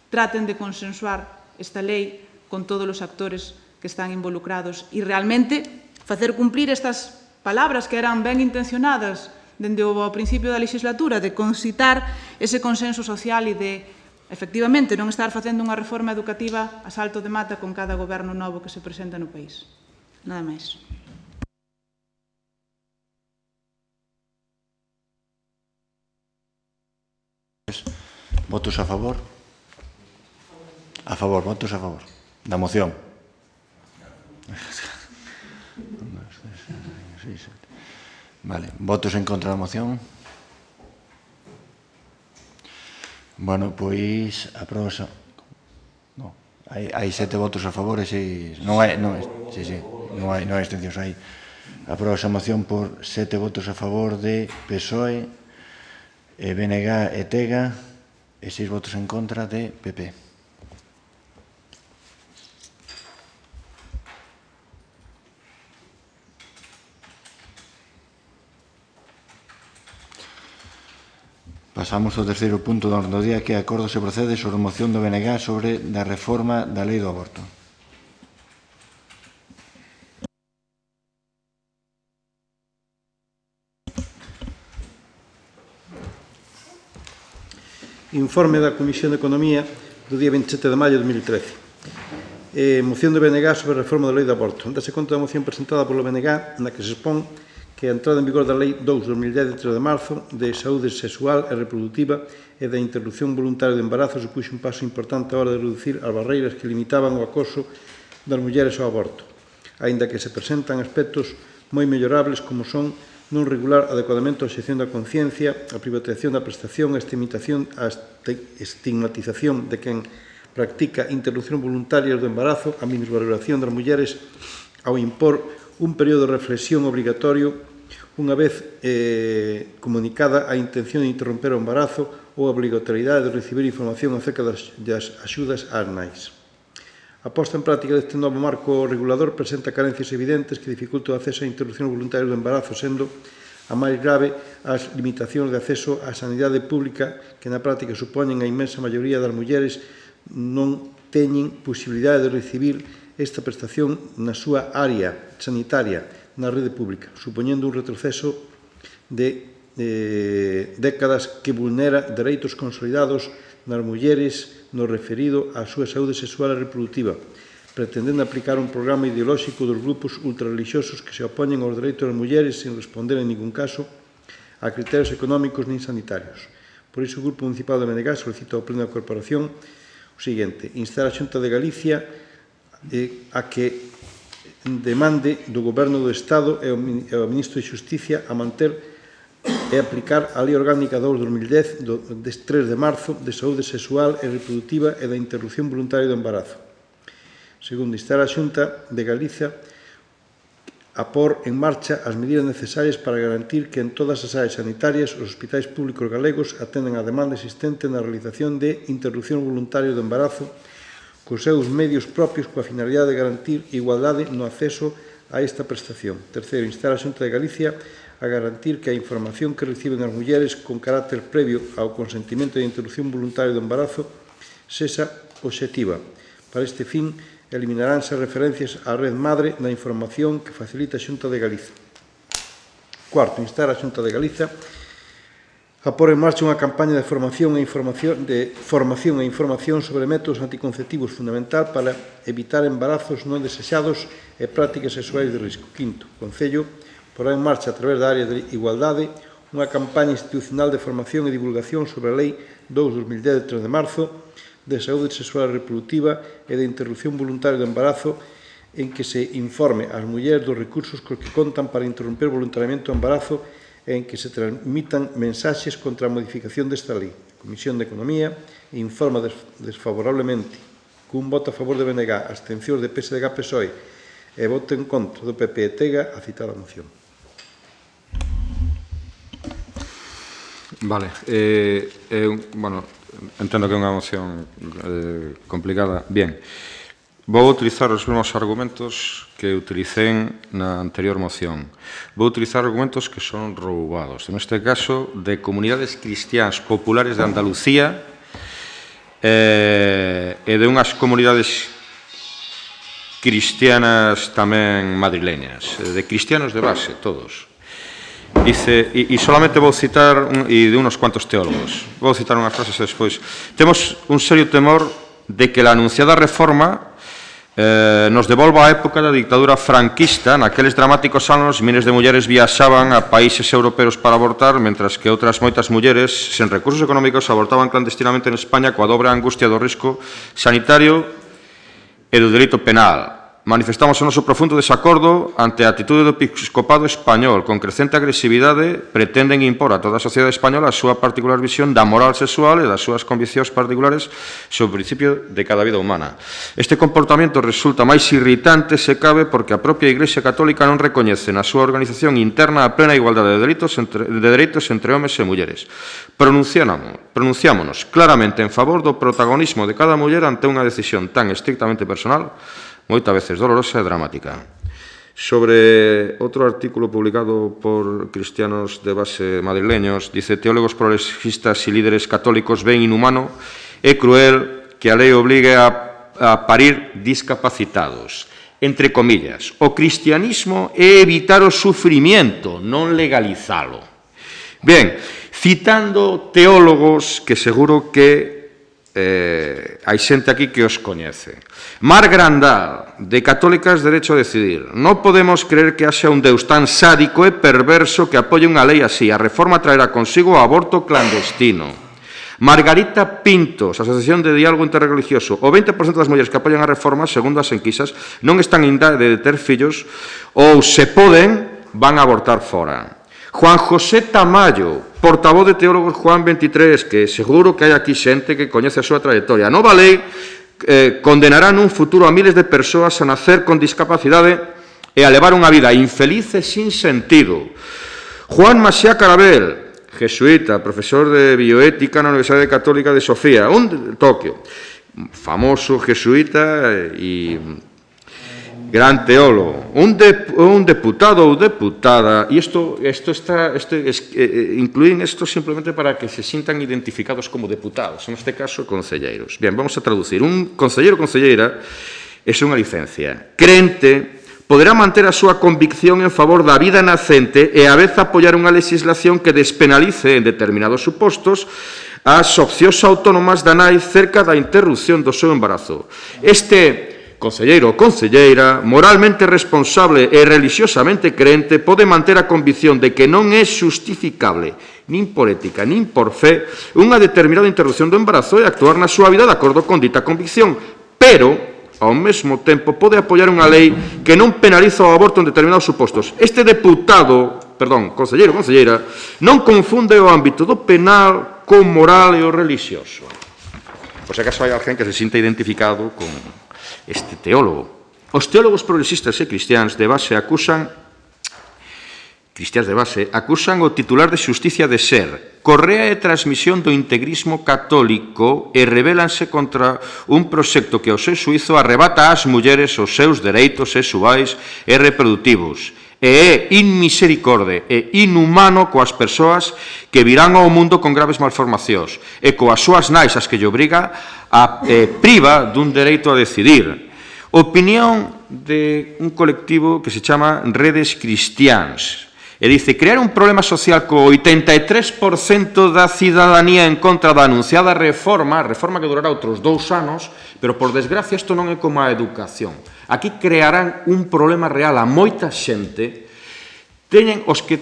traten de consensuar esta lei con todos os actores que están involucrados e realmente facer cumplir estas palabras que eran ben intencionadas dende o principio da legislatura, de concitar ese consenso social e de, efectivamente, non estar facendo unha reforma educativa a salto de mata con cada goberno novo que se presenta no país. Nada máis. Votos a favor? A favor, votos a favor. Da moción. Vale, votos en contra da moción. Bueno, pois aproba. No, hai 7 votos a favor e 6 non hai abstencións, hai aproba a moción por 7 votos a favor de PSOE, BNG e TEGA e 6 votos en contra de PP. Pasamos ao terceiro punto do orde do día, que é acordo se procede sobre a moción do BNG sobre a reforma da lei do aborto. Informe da Comisión de Economía do día 27 de maio de 2013. Moción do BNG sobre a reforma da lei do aborto. Dase conta da moción presentada polo BNG na que se expón que a entrada en vigor da Lei 2/2010 de 3 de marzo de saúde sexual e reproductiva e da interrupción voluntaria do embarazo supuxe un paso importante a hora de reducir as barreiras que limitaban o acoso das mulleres ao aborto, aínda que se presentan aspectos moi mellorables como son non regular adecuadamente a obxección da conciencia, a privatización da prestación, a estigmatización de quen practica interrupción voluntaria do embarazo, a minusvaloración das mulleres ao impor un período de reflexión obrigatorio unha vez comunicada a intención de interromper o embarazo ou a obrigatoriedade de recibir información acerca das axudas ás nais. A posta en práctica deste novo marco regulador presenta carencias evidentes que dificultan o acceso á interrupción voluntaria do embarazo, sendo a máis grave as limitacións de acceso á sanidade pública que na práctica supoñen a inmensa maioría das mulleres non teñen posibilidade de recibir esta prestación na súa área sanitaria na rede pública, supoñendo un retroceso de décadas que vulnera dereitos consolidados nas mulleres no referido á súa saúde sexual e reproductiva, pretendendo aplicar un programa ideolóxico dos grupos ultrarelixiosos que se opoñen aos dereitos das mulleres sin responder en ningún caso a criterios económicos nin sanitarios. Por iso, o Grupo Municipal de BNG solicita ao Pleno da Corporación o seguinte: instar a Xunta de Galicia a que demande do Goberno do Estado e ao Ministro de Xusticia a manter e aplicar a Lei Orgánica 2/2010 de 3 de marzo de saúde sexual e reprodutiva e da interrupción voluntaria do embarazo. Segundo, instar a Xunta de Galicia a pôr en marcha as medidas necesarias para garantir que en todas as áreas sanitarias os hospitais públicos galegos atenden a demanda existente na realización de interrupción voluntaria do embarazo cos seus medios propios coa finalidade de garantir igualdade no acceso a esta prestación. Terceiro, instar a Xunta de Galicia a garantir que a información que reciben as mulleres con carácter previo ao consentimento de interrupción voluntaria do embarazo sexa obxectiva. Para este fin, eliminaránse referencias á red madre na información que facilita a Xunta de Galicia. Cuarto, instar a Xunta de Galicia a pôr en marcha unha campaña de formación e información sobre métodos anticonceptivos fundamental para evitar embarazos non desexados e prácticas sexuais de risco. Quinto, o Concello porá en marcha a través da área de igualdade unha campaña institucional de formación e divulgación sobre a Lei 2/2010 de 3 de marzo de saúde sexual e reprodutiva e de interrupción voluntaria do embarazo, en que se informe ás mulleres dos recursos cos que contan para interromper voluntariamente o embarazo e en que se transmitan mensaxes contra a modificación desta lei. A Comisión de Economía informa desfavorablemente cun voto a favor de BNG, abstencións de PSDG, PSOE e voto en contra do PP e Tega a citada moción. Vale. Bueno, entendo que é unha moción complicada. Bien. Vou utilizar os mesmos argumentos que utilicé na anterior moción. Vou utilizar argumentos que son roubados. Neste caso, de comunidades cristiáns populares de Andalucía e de unhas comunidades cristianas tamén madrileñas, de cristianos de base, todos. Dice, e solamente vou citar, e de unos cuantos teólogos, vou citar unhas frases despois. Temos un serio temor de que la anunciada reforma nos devolva a época da dictadura franquista. Naqueles dramáticos anos, miles de mulleres viaxaban a países europeos para abortar, mentras que outras moitas mulleres, sen recursos económicos, abortaban clandestinamente en España coa dobre angustia do risco sanitario e do delito penal. Manifestamos o noso profundo desacordo ante a atitude do episcopado español. Con crecente agresividade pretenden impor a toda a sociedade española a súa particular visión da moral sexual e das súas conviccións particulares sobre o principio de cada vida humana. Este comportamento resulta máis irritante se cabe porque a propia Igrexa Católica non recoñece na súa organización interna a plena igualdade de dereitos entre homes e mulleres. Pronunciámonos claramente en favor do protagonismo de cada muller ante unha decisión tan estrictamente personal, moitas veces dolorosa e dramática. Sobre outro artículo publicado por cristianos de base madrileños, dice: teólogos progresistas e líderes católicos ven inhumano e cruel que a lei obligue a parir discapacitados. Entre comillas, o cristianismo é evitar o sufrimiento, non legalizalo. Ben, citando teólogos que seguro que hai xente aquí que os coñece. Mar Grandal, de Católicas Derecho a Decidir. Non podemos creer que haxa un Deus tan sádico e perverso que apoie unha lei así. A reforma traerá consigo o aborto clandestino. Margarita Pintos, Asociación de Diálogo Interreligioso. O 20% das mulleres que apoian a reforma, segundo as enquisas, non están en idade de ter fillos ou, se poden, van a abortar fora. Juan José Tamayo, portavoz de Teólogos Juan 23, que seguro que hai aquí xente que coñece a súa trayectoria. A nova lei condenará nun futuro a miles de persoas a nacer con discapacidade e a levar unha vida infeliz e sin sentido. Juan Maxiá Carabel, jesuíta, profesor de bioética na Universidade Católica de Sofía, Tokio, famoso jesuíta e gran teólogo, un deputado ou deputada, e incluín isto simplemente para que se sintan identificados como deputados, en este caso, concelleiros. Bien, vamos a traducir. Un concelleiro ou concelleira é unha licencia. Crente poderá manter a súa convicción en favor da vida nacente e a vez apoiar unha legislación que despenalice en determinados supostos as opcións autónomas da nai cerca da interrupción do seu embarazo. Este concelleiro ou concelleira, moralmente responsable e religiosamente crente, pode manter a convicción de que non é justificable, nin por ética, nin por fe, unha determinada interrupción do embarazo e actuar na súa vida de acordo con dita convicción, pero, ao mesmo tempo, pode apoiar unha lei que non penaliza o aborto en determinados supostos. Este concelleiro ou concelleira, non confunde o ámbito do penal con moral e o religioso. Por se acaso hai alguén que se sinta identificado con este teólogo. Os teólogos progresistas e cristiáns de base acusan o titular de Xusticia de ser correa e transmisión do integrismo católico e rebelanse contra un proxecto que, ao seu suízo, arrebata ás mulleres os seus dereitos sexuais e reproductivos e é inmisericorde e inhumano coas persoas que virán ao mundo con graves malformacións e coas súas nais as que lle obriga a priva dun dereito a decidir. Opinión de un colectivo que se chama Redes Cristiáns. E dice, crear un problema social co 83% da cidadanía en contra da anunciada reforma que durará outros 2 anos, pero, por desgracia, isto non é como a educación. Aquí crearán un problema real a moita xente. Os que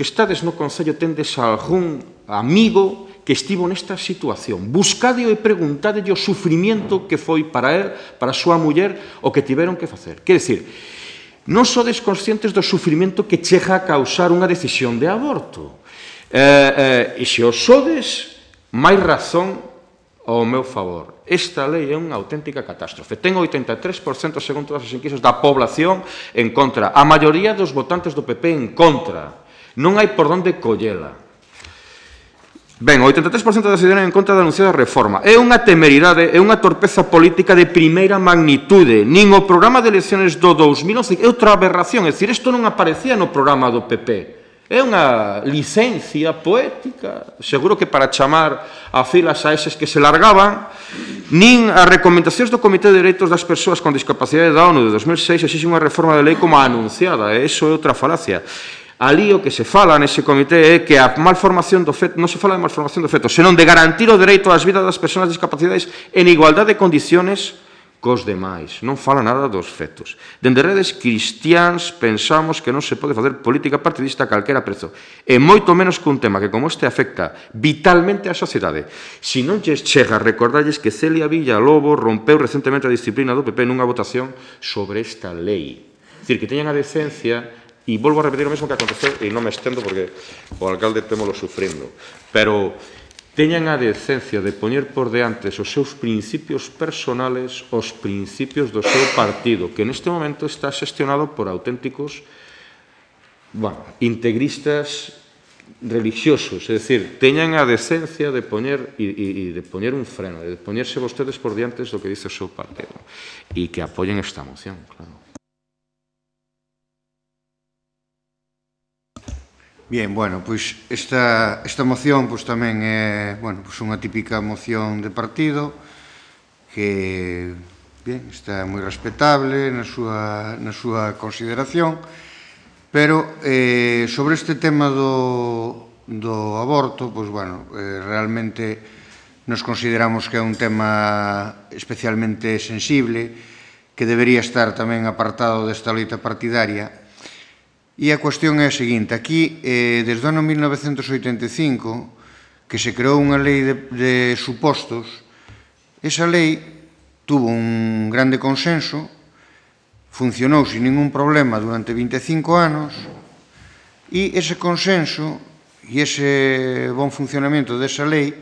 estades no Concello tendes algún amigo que estivo nesta situación. Buscade e preguntade o sufrimiento que foi para él, para a súa muller, o que tiveron que facer. Quer dicir, non sodes conscientes do sufrimento que chega a causar unha decisión de aborto. E se os sodes, máis razón ao meu favor. Esta lei é unha auténtica catástrofe. Ten 83%, según todas as enquisas, da población en contra. A maioría dos votantes do PP en contra. Non hai por onde collela. Ben, o 83% da ciudadanía en contra da anunciada reforma. É unha temeridade, é unha torpeza política de primeira magnitude. Nin o programa de elecciones do 2011 é outra aberración. É dicir, isto non aparecía no programa do PP. É unha licencia poética, seguro que para chamar a filas a eses que se largaban, nin as recomendacións do Comité de Dereitos das Persoas con Discapacidade da ONU de 2006 exixe unha reforma de lei como a anunciada, e iso é outra falacia. Ali o que se fala nese comité é que a malformación do feto, non se fala de malformación do feto, senón de garantir o dereito ás vidas das persoas discapacidades en igualdade de condiciones cos demais. Non fala nada dos fetos. Dende redes cristiáns pensamos que non se pode facer política partidista a calquera prezo. E moito menos que un tema que como este afecta vitalmente a sociedade. Si non lles chega a recordarlles que Celia Villalobo rompeu recentemente a disciplina do PP nunha votación sobre esta lei. É dicir, que teñan a decencia, e volvo a repetir o mesmo que aconteceu, e non me estendo porque o alcalde témolo sufrindo, pero teñan a decencia de poñer por deantes os seus principios personales os principios do seu partido, que neste momento está xestionado por auténticos integristas religiosos. É dicir, teñan a decencia de poñer e de poñer un freno, de poñerse vostedes por diantes do que dice o seu partido e que apoyen esta moción, claro. Bien, bueno, pois esta moción pois tamén é, bueno, pois unha típica moción de partido que, bien, está moi respetable na súa consideración, pero sobre este tema do aborto, pois, bueno, realmente nos consideramos que é un tema especialmente sensible, que debería estar tamén apartado desta loita partidaria. E a cuestión é a seguinte, aquí, desde o ano 1985, que se creou unha lei de supostos, esa lei tuvo un grande consenso, funcionou sin ningún problema durante 25 anos, e ese consenso e ese bon funcionamento desa lei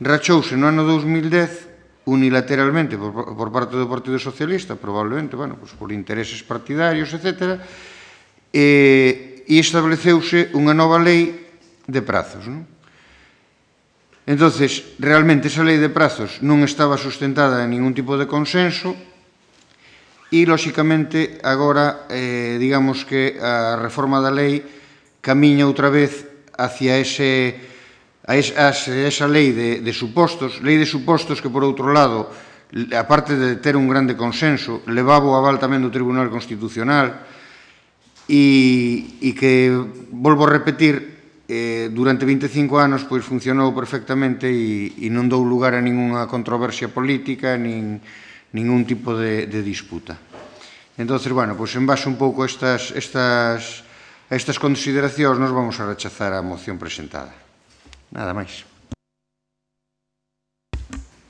rachouse no ano 2010 unilateralmente por parte do Partido Socialista, probablemente, bueno, por intereses partidarios, etcétera, e estableceuse unha nova lei de prazos. Entonces, realmente, esa lei de prazos non estaba sustentada en ningún tipo de consenso e, lóxicamente, agora, digamos que a reforma da lei camiña outra vez hacia esa lei de supostos que, por outro lado, aparte de ter un grande consenso, levaba o aval tamén do Tribunal Constitucional, e que, volvo a repetir, durante 25 anos pois funcionou perfectamente e non dou lugar a ninguna controversia política nin ningún tipo de disputa. Entón, bueno, pois en base un pouco a estas consideracións nos vamos a rechazar a moción presentada. Nada máis.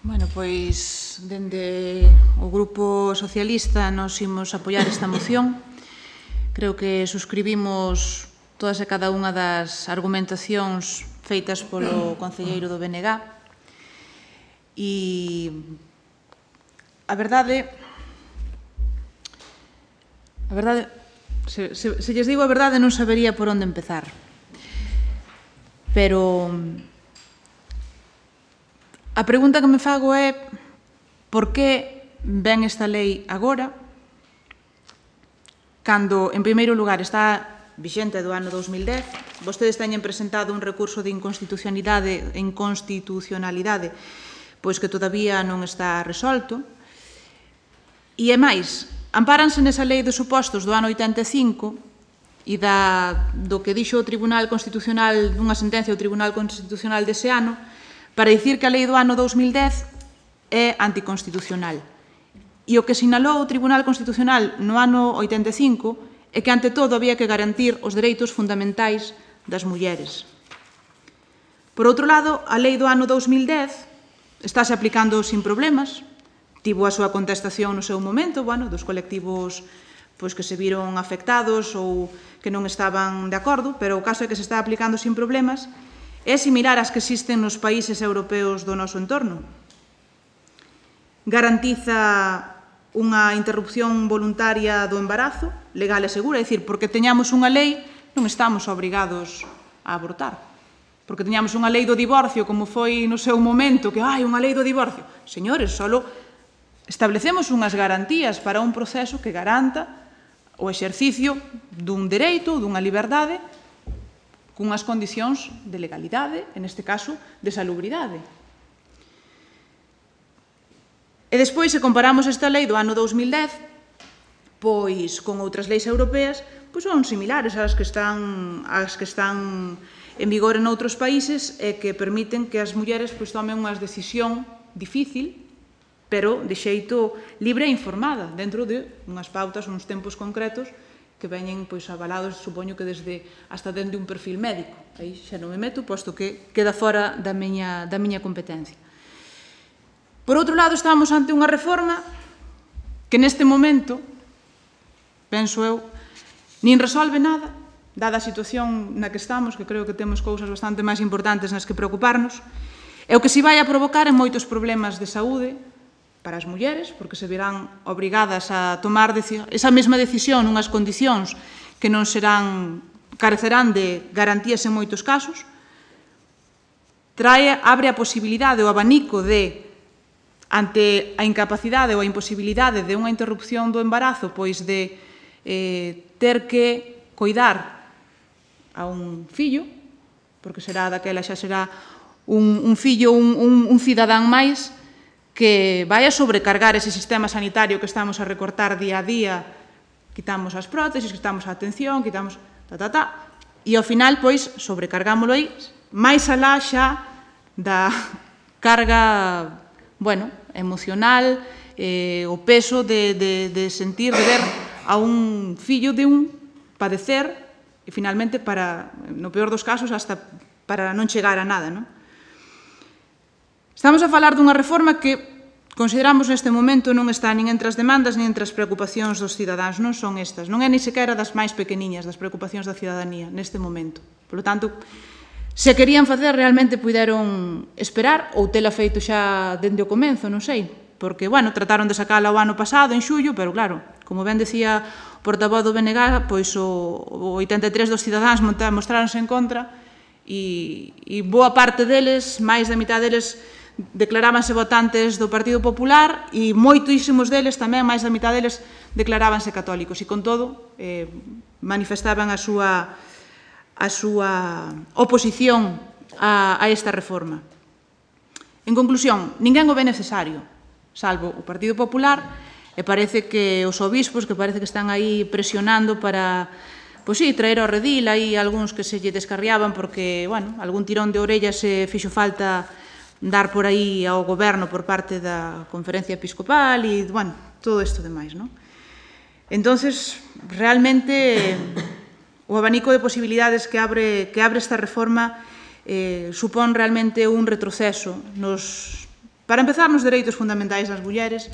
Bueno, pois, dende o Grupo Socialista nos imos apoiar esta moción. Creo que suscribimos todas e cada unha das argumentacións feitas polo concelleiro do BNG. E a verdade, se lles digo a verdade non sabería por onde empezar. Pero a pregunta que me fago é por que ven esta lei agora, cando, en primeiro lugar, está vixente do ano 2010, vostedes teñen presentado un recurso de inconstitucionalidade, pois que todavía non está resolto, e é máis, ampáranse nesa lei de supostos do ano 85 e do que dixo o Tribunal Constitucional, dunha sentencia do Tribunal Constitucional dese ano, para dicir que a lei do ano 2010 é anticonstitucional. E o que sinalou o Tribunal Constitucional no ano 85 é que, ante todo, había que garantir os dereitos fundamentais das mulleres. Por outro lado, a lei do ano 2010 estáse aplicando sin problemas, tivo a súa contestación no seu momento, dos colectivos que se viron afectados ou que non estaban de acordo, pero o caso é que se está aplicando sin problemas, é similar ás que existen nos países europeos do noso entorno. garantiza unha interrupción voluntaria do embarazo, legal e segura, é dicir, porque teñamos unha lei non estamos obrigados a abortar. Porque teñamos unha lei do divorcio, como foi no seu momento, que hai unha lei do divorcio. Señores, só establecemos unhas garantías para un proceso que garanta o exercicio dun dereito, dunha liberdade, cunhas condicións de legalidade, en este caso, de salubridade. E despois, se comparamos esta lei do ano 2010, pois con outras leis europeas, pois son similares ás que están en vigor en outros países e que permiten que as mulleres pois tomen unha decisión difícil, pero de xeito libre e informada, dentro de unhas pautas, uns tempos concretos que veñen pois avalados, supoño que hasta dentro de un perfil médico. Aí xa non me meto, posto que queda fora da miña competencia. Por outro lado, estamos ante unha reforma que neste momento, penso eu, nin resolve nada, dada a situación na que estamos, que creo que temos cousas bastante máis importantes nas que preocuparnos, e o que se vai a provocar en moitos problemas de saúde para as mulleres, porque se verán obrigadas a tomar esa mesma decisión nunhas condicións que non carecerán de garantías en moitos casos, abre a posibilidade, o abanico de, ante a incapacidade ou a imposibilidade de unha interrupción do embarazo, pois de ter que coidar a un fillo, porque xa será un fillo, un cidadán máis, que vai a sobrecargar ese sistema sanitario que estamos a recortar día a día, quitamos as prótesis, quitamos a atención, quitamos e ao final, pois, sobrecargámoslo aí, máis alá xa da carga, emocional, o peso de sentir, de ver a un fillo de un padecer e finalmente, no peor dos casos, hasta para non chegar a nada, non? Estamos a falar dunha reforma que consideramos neste momento non está nin entre as demandas nin entre as preocupacións dos cidadáns, non son estas, non é ni sequera das máis pequeniñas das preocupacións da cidadanía neste momento. Por lo tanto, se querían facer, realmente puideron esperar ou tela feito xa dende o comenzo, non sei, porque, trataron de sacala o ano pasado, en xullo, pero claro, como ben decía o portavoz do BNG, pois o 83 dos cidadáns mostráronse en contra e boa parte deles, máis da mitad deles, declarábanse votantes do Partido Popular e moitísimos deles tamén, máis da mitad deles, declarábanse católicos e con todo manifestaban a súa oposición a esta reforma. En conclusión, ninguén o ve necesario, salvo o Partido Popular, e parece que os obispos, que parece que están aí presionando para, traer ao redil, aí algúns que se lle descarriaban porque, algún tirón de orellas se fixo falta dar por aí ao goberno por parte da Conferencia Episcopal e, todo isto demais, non? Entonces, realmente, o abanico de posibilidades que abre esta reforma supón realmente un retroceso para empezar nos dereitos fundamentais das mulleres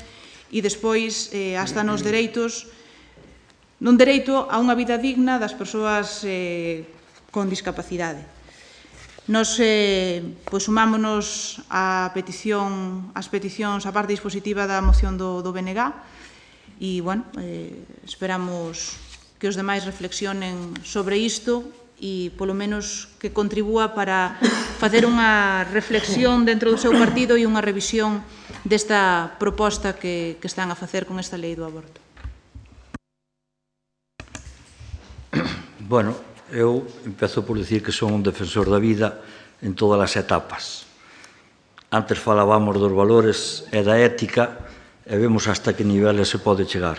e despois hasta nos dereitos nun dereito a unha vida digna das persoas con discapacidade. Nos sumámonos ás peticións, á parte dispositiva da moción do BNG e, esperamos que os demais reflexionen sobre isto e, polo menos, que contribúa para facer unha reflexión dentro do seu partido e unha revisión desta proposta que están a facer con esta lei do aborto. Eu empezo por dicir que son un defensor da vida en todas as etapas. Antes falábamos dos valores e da ética e vemos hasta que niveles se pode chegar.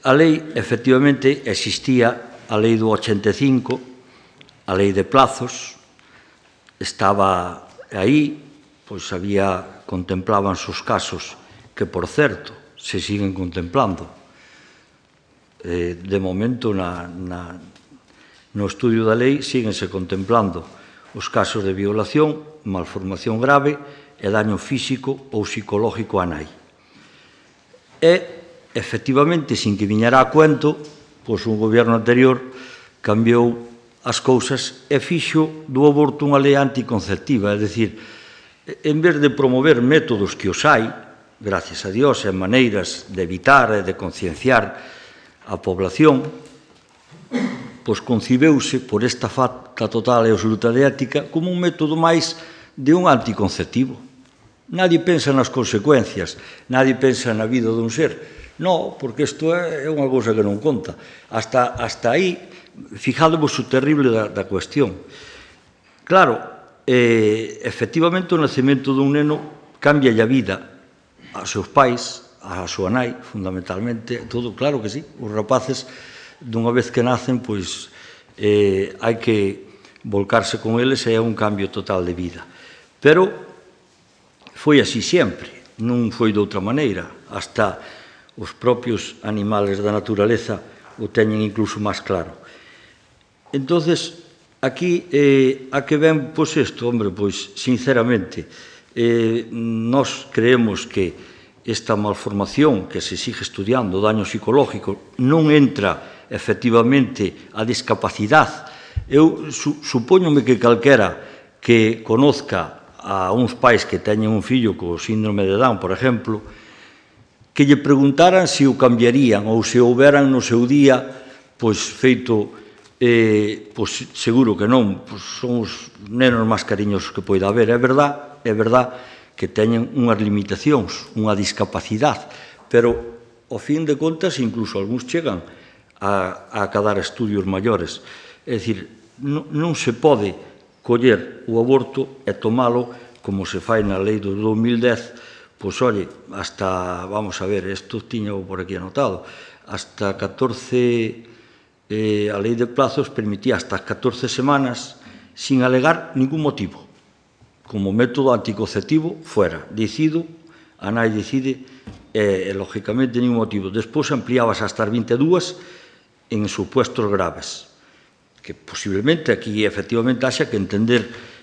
A lei, efectivamente, existía a lei do 85, a lei de plazos, estaba aí, pois contemplábanse os casos que, por certo, se siguen contemplando. De momento, no estudio da lei, síguense contemplando os casos de violación, malformación grave e daño físico ou psicológico á nai. E, efectivamente, sin que viñera a cuento, pois un goberno anterior cambiou as cousas e fixo do aborto unha lei anticonceptiva, é dicir, en vez de promover métodos que os hai, gracias a Dios, e maneiras de evitar e de concienciar a población, pois concibeuse por esta falta total e absoluta de ética como un método máis de un anticonceptivo. Nadie pensa nas consecuencias, nadie pensa na vida dun ser. Non, porque isto é unha cousa que non conta. Hasta aí, fijádevos o terrible da cuestión. Claro, efectivamente o nacemento dun neno cambia a vida aos seus pais, a súa nai, fundamentalmente, todo, claro que sí. Os rapaces, dunha vez que nacen, pois hai que volcarse con eles e é un cambio total de vida. Pero foi así sempre, non foi de outra maneira. Hasta os propios animales da naturaleza o teñen incluso máis claro. Entonces, aquí, a que ven, pois isto, hombre, pois, sinceramente, nós creemos que esta malformación que se sigue estudiando, o daño psicológico, non entra, efectivamente, a discapacidade. Eu supóñome que calquera que conozca a uns pais que teñen un fillo co síndrome de Down, por exemplo, que lle preguntaran se o cambiarían ou se houberan no seu día, pois, feito, pois, seguro que non, pois, son os nenos máis cariñosos que poida haber. É verdad que teñen unhas limitacións, unha discapacidade, pero, ao fin de contas, incluso algúns chegan a acadar estudios maiores. É dicir, non se pode coller o aborto e tomalo como se fai na lei do 2010. Pois, oi, hasta, vamos a ver, isto tiño por aquí anotado, hasta 14, a lei de plazos permitía hasta 14 semanas sin alegar ningún motivo. Como método anticonceptivo, fuera. Decido, a nai decide, e, lógicamente, ningún motivo. Despois ampliábase hasta as 22 en supuestos graves. Que posiblemente aquí, efectivamente, haxa que entender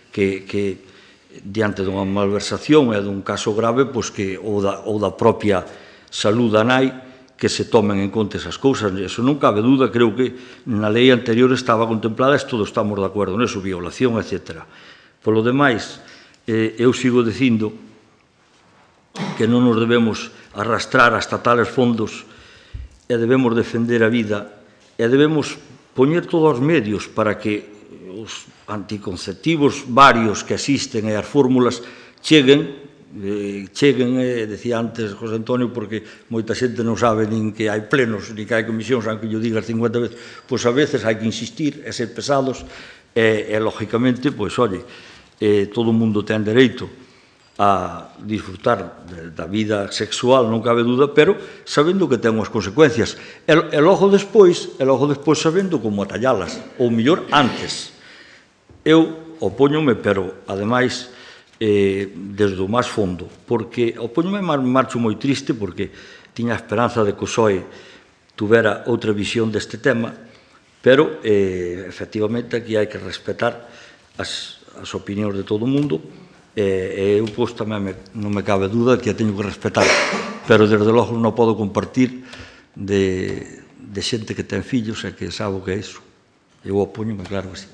que diante dunha malversación e dun caso grave, pois que ou da propia saúde da nai, que se tomen en conta esas cousas. Eso non cabe duda, creo que na lei anterior estaba contemplada, e todos estamos de acordo neso, violación, etc. Polo demais, eu sigo dicindo que non nos debemos arrastrar hasta tales fondos e debemos defender a vida e debemos poñer todos os medios para que os anticonceptivos varios que existen e as fórmulas cheguen, decía antes José Antonio, porque moita xente non sabe nin que hai plenos, nin que hai comisións, aunque yo digas 50 veces, pois a veces hai que insistir e ser pesados e lógicamente, pois, oye, todo o mundo ten dereito a disfrutar da vida sexual, non cabe duda, pero sabendo que ten unhas consecuencias. E logo despois sabendo como atallalas, ou mellor, antes. Eu opóñome, pero, ademais, desde o máis fondo, porque opóñome marcho moi triste, porque tiña a esperanza de que o PSOE tuvera outra visión deste tema, pero, efectivamente, aquí hai que respetar as opinións de todo o mundo, e eu, pois, tamén non me cabe duda que a teño que respetar, pero, desde logo, non podo compartir de xente que ten fillos e que sabe o que é iso. Eu opóñome, claro que sí.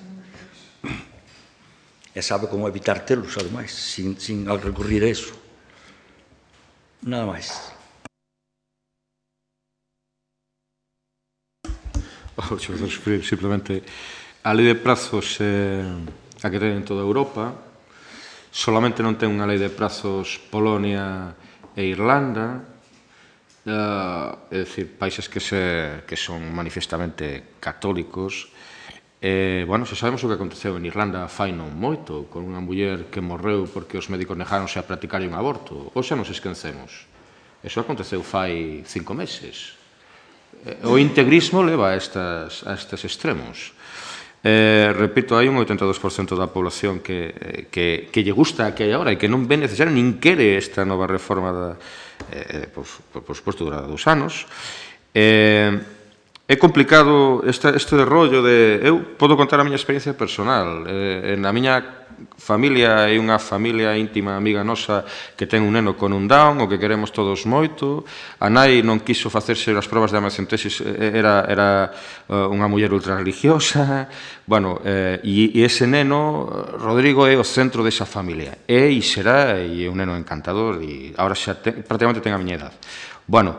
E sabe como evitar telos, ademais, sin recurrir a eso. Nada máis. Simplemente, a lei de prazos a que ten en toda Europa, solamente non ten unha lei de prazos Polonia e Irlanda, é dicir, países que son manifestamente católicos. Bueno, xa sabemos o que aconteceu en Irlanda fai non moito, con unha muller que morreu porque os médicos negáronse a practicar un aborto. Ou xa nos esquecemos. Eso aconteceu fai 5 meses. O integrismo leva a estes extremos. Repito, hai un 82% da población que lle gusta que hai agora e que non ve necesario nin quere esta nova reforma por suposto, dura 2 anos. É complicado este rollo de... Eu podo contar a miña experiencia personal. Na miña familia é unha familia íntima, amiga nosa, que ten un neno con un Down, o que queremos todos moito. A nai non quiso facerse as probas de amniocentesis, era unha muller ultrarreligiosa. Bueno, e ese neno, Rodrigo, é o centro desa familia. É e será, e é un neno encantador, e agora xa prácticamente ten a miña edad. Bueno,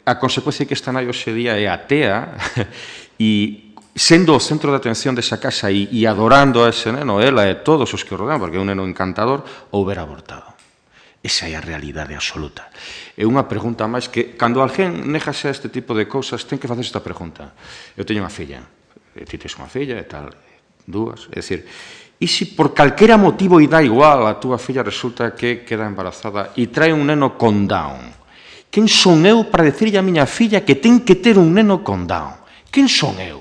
a consecuencia é que esta nai hoxe día é atea e sendo o centro de atención desa casa e adorando a ese neno, ela e todos os que o rodean, porque é un neno encantador, houbera abortado. Esa é a realidade absoluta. É unha pregunta máis que, cando alguén negase a este tipo de cousas, ten que facer esta pregunta. Eu teño unha filla, ti tens unha filla e tal, dúas, é dicir, e se por calquera motivo e dá igual a túa filla resulta que queda embarazada e trae un neno con Down, quen son eu para decirlle a miña filla que ten que ter un neno con Down? Quen son eu?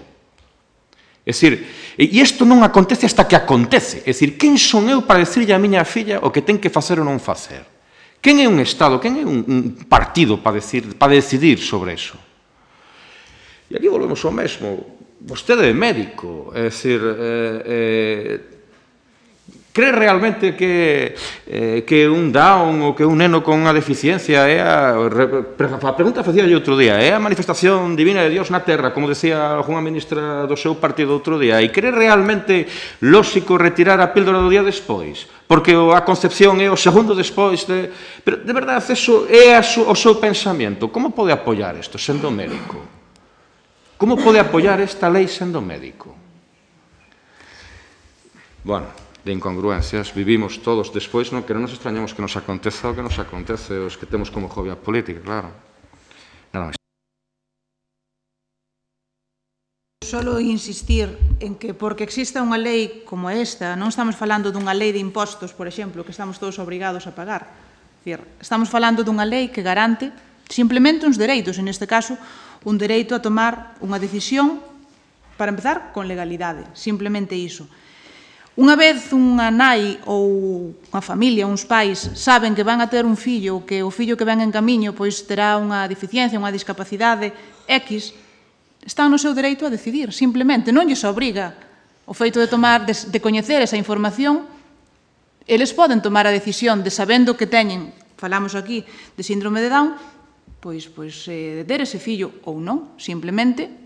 É dicir, e isto non acontece hasta que acontece. É dicir, quen son eu para decirlle a miña filla o que ten que facer ou non facer? Quen é un Estado, quen é un partido para decidir sobre eso? E aquí volvemos ao mesmo. Vostede é médico, é dicir, cree realmente que un Down ou que un neno con unha deficiencia é a pregunta facía outro día, é a manifestación divina de Dios na terra, como decía unha ministra do seu partido outro día, e cree realmente lóxico retirar a píldora do día despois, porque a concepción é o segundo despois de... Pero, de verdade, eso é o seu pensamento. Como pode apoiar isto sendo médico? Como pode apoiar esta lei sendo médico? Bueno, de incongruencias, vivimos todos despois, que non nos extrañamos que nos aconteza o que nos acontece, os que temos como hobby a política, claro. Nada máis. Solo insistir en que porque exista unha lei como esta, non estamos falando dunha lei de impostos, por exemplo, que estamos todos obrigados a pagar. Estamos falando dunha lei que garante simplemente uns dereitos, en este caso, un dereito a tomar unha decisión, para empezar, con legalidade, simplemente iso. Unha vez unha nai ou unha familia, uns pais, saben que van a ter un fillo, que o fillo que ven en camiño pois terá unha deficiencia, unha discapacidade X, están no seu dereito a decidir, simplemente, non lles obriga o feito de coñecer esa información, eles poden tomar a decisión de sabendo que teñen, falamos aquí, de síndrome de Down, pois ter ese fillo ou non, simplemente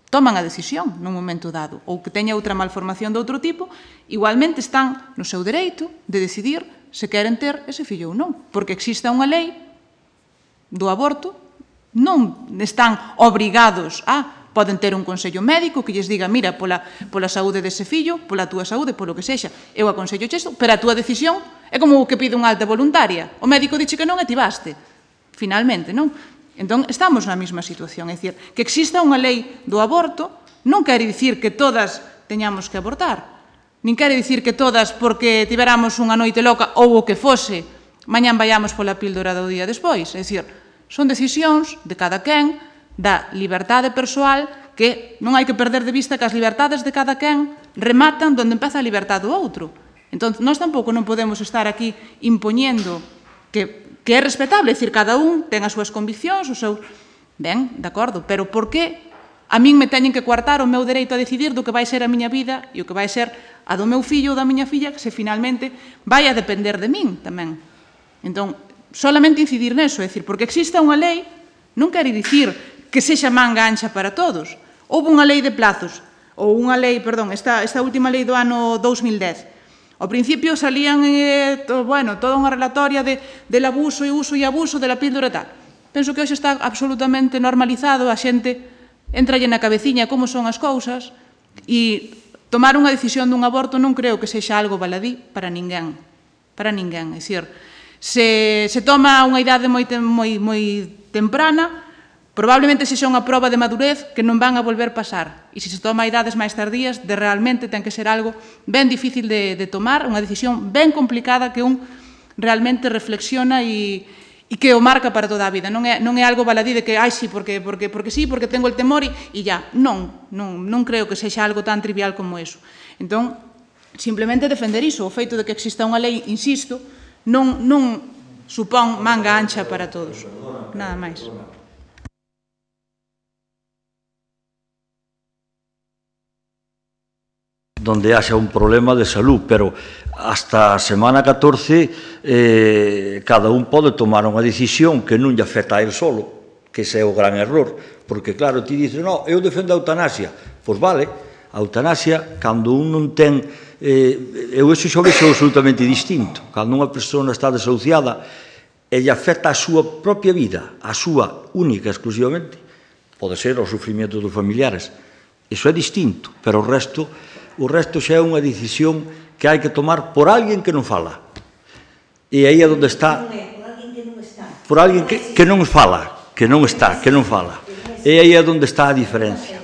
toman a decisión nun momento dado, ou que teña outra malformación de outro tipo, igualmente están no seu dereito de decidir se queren ter ese fillo ou non, porque exista unha lei do aborto, non están obrigados a, poden ter un consello médico que lles diga, mira, pola saúde dese fillo, pola túa saúde, polo que sexa, eu aconsello isto, pero a túa decisión é como o que pide unha alta voluntaria, o médico dixe que non e ti baste, finalmente, non? Entón, estamos na mesma situación, é dicir, que exista unha lei do aborto non quere dicir que todas teñamos que abortar, nin quere dicir que todas, porque tiveramos unha noite loca ou o que fose, mañán vayamos pola píldora do día despois, é dicir, son decisións de cada quen, da liberdade persoal, que non hai que perder de vista que as liberdades de cada quen rematan onde empeza a liberdade do outro. Entón, nós tampouco non podemos estar aquí impoñendo que é respetable, é dicir, cada un ten as súas conviccións, os seus... Ben, de acordo, pero por que a min me teñen que coartar o meu dereito a decidir do que vai ser a miña vida e o que vai ser a do meu fillo ou da miña filla, que se finalmente vai a depender de min tamén. Entón, solamente incidir neso, é dicir, porque exista unha lei non quere dicir que sexa manga ancha para todos. Houve unha lei de plazos, ou unha lei, perdón, esta última lei do ano 2010, ao principio salían, toda unha relatoria del abuso e uso e abuso de la píldora e tal. Penso que hoxe está absolutamente normalizado, a xente entralle na cabeciña como son as cousas e tomar unha decisión dun aborto non creo que sexa algo baladí para ninguén. Para ninguén, é dicir, se toma unha idade moi temprana, probablemente sexa unha proba de madurez que non van a volver pasar. E se se toma a idades máis tardías, realmente ten que ser algo ben difícil de tomar, unha decisión ben complicada que un realmente reflexiona e que o marca para toda a vida. Non é algo baladí de que, sí, porque sí, porque tengo el temor e ya. Non creo que sexa algo tan trivial como eso. Entón, simplemente defender iso, o feito de que exista unha lei, insisto, non supón manga ancha para todos. Nada máis. donde haxa un problema de salud, pero hasta a semana 14 cada un pode tomar unha decisión que non lle afecta a él solo, que ese é o gran error, porque claro, ti dices, no, eu defendo a eutanasia, pois vale, a eutanasia, cando un non ten, eu iso xa vexo absolutamente distinto, cando unha persona está desahuciada e lle afecta a súa propia vida, a súa única, exclusivamente, pode ser o sufrimento dos familiares, iso é distinto, pero o resto xa é unha decisión que hai que tomar por alguén que non fala. E aí é onde está... Por alguén que non fala, que non está, que non fala. E aí é onde está a diferencia.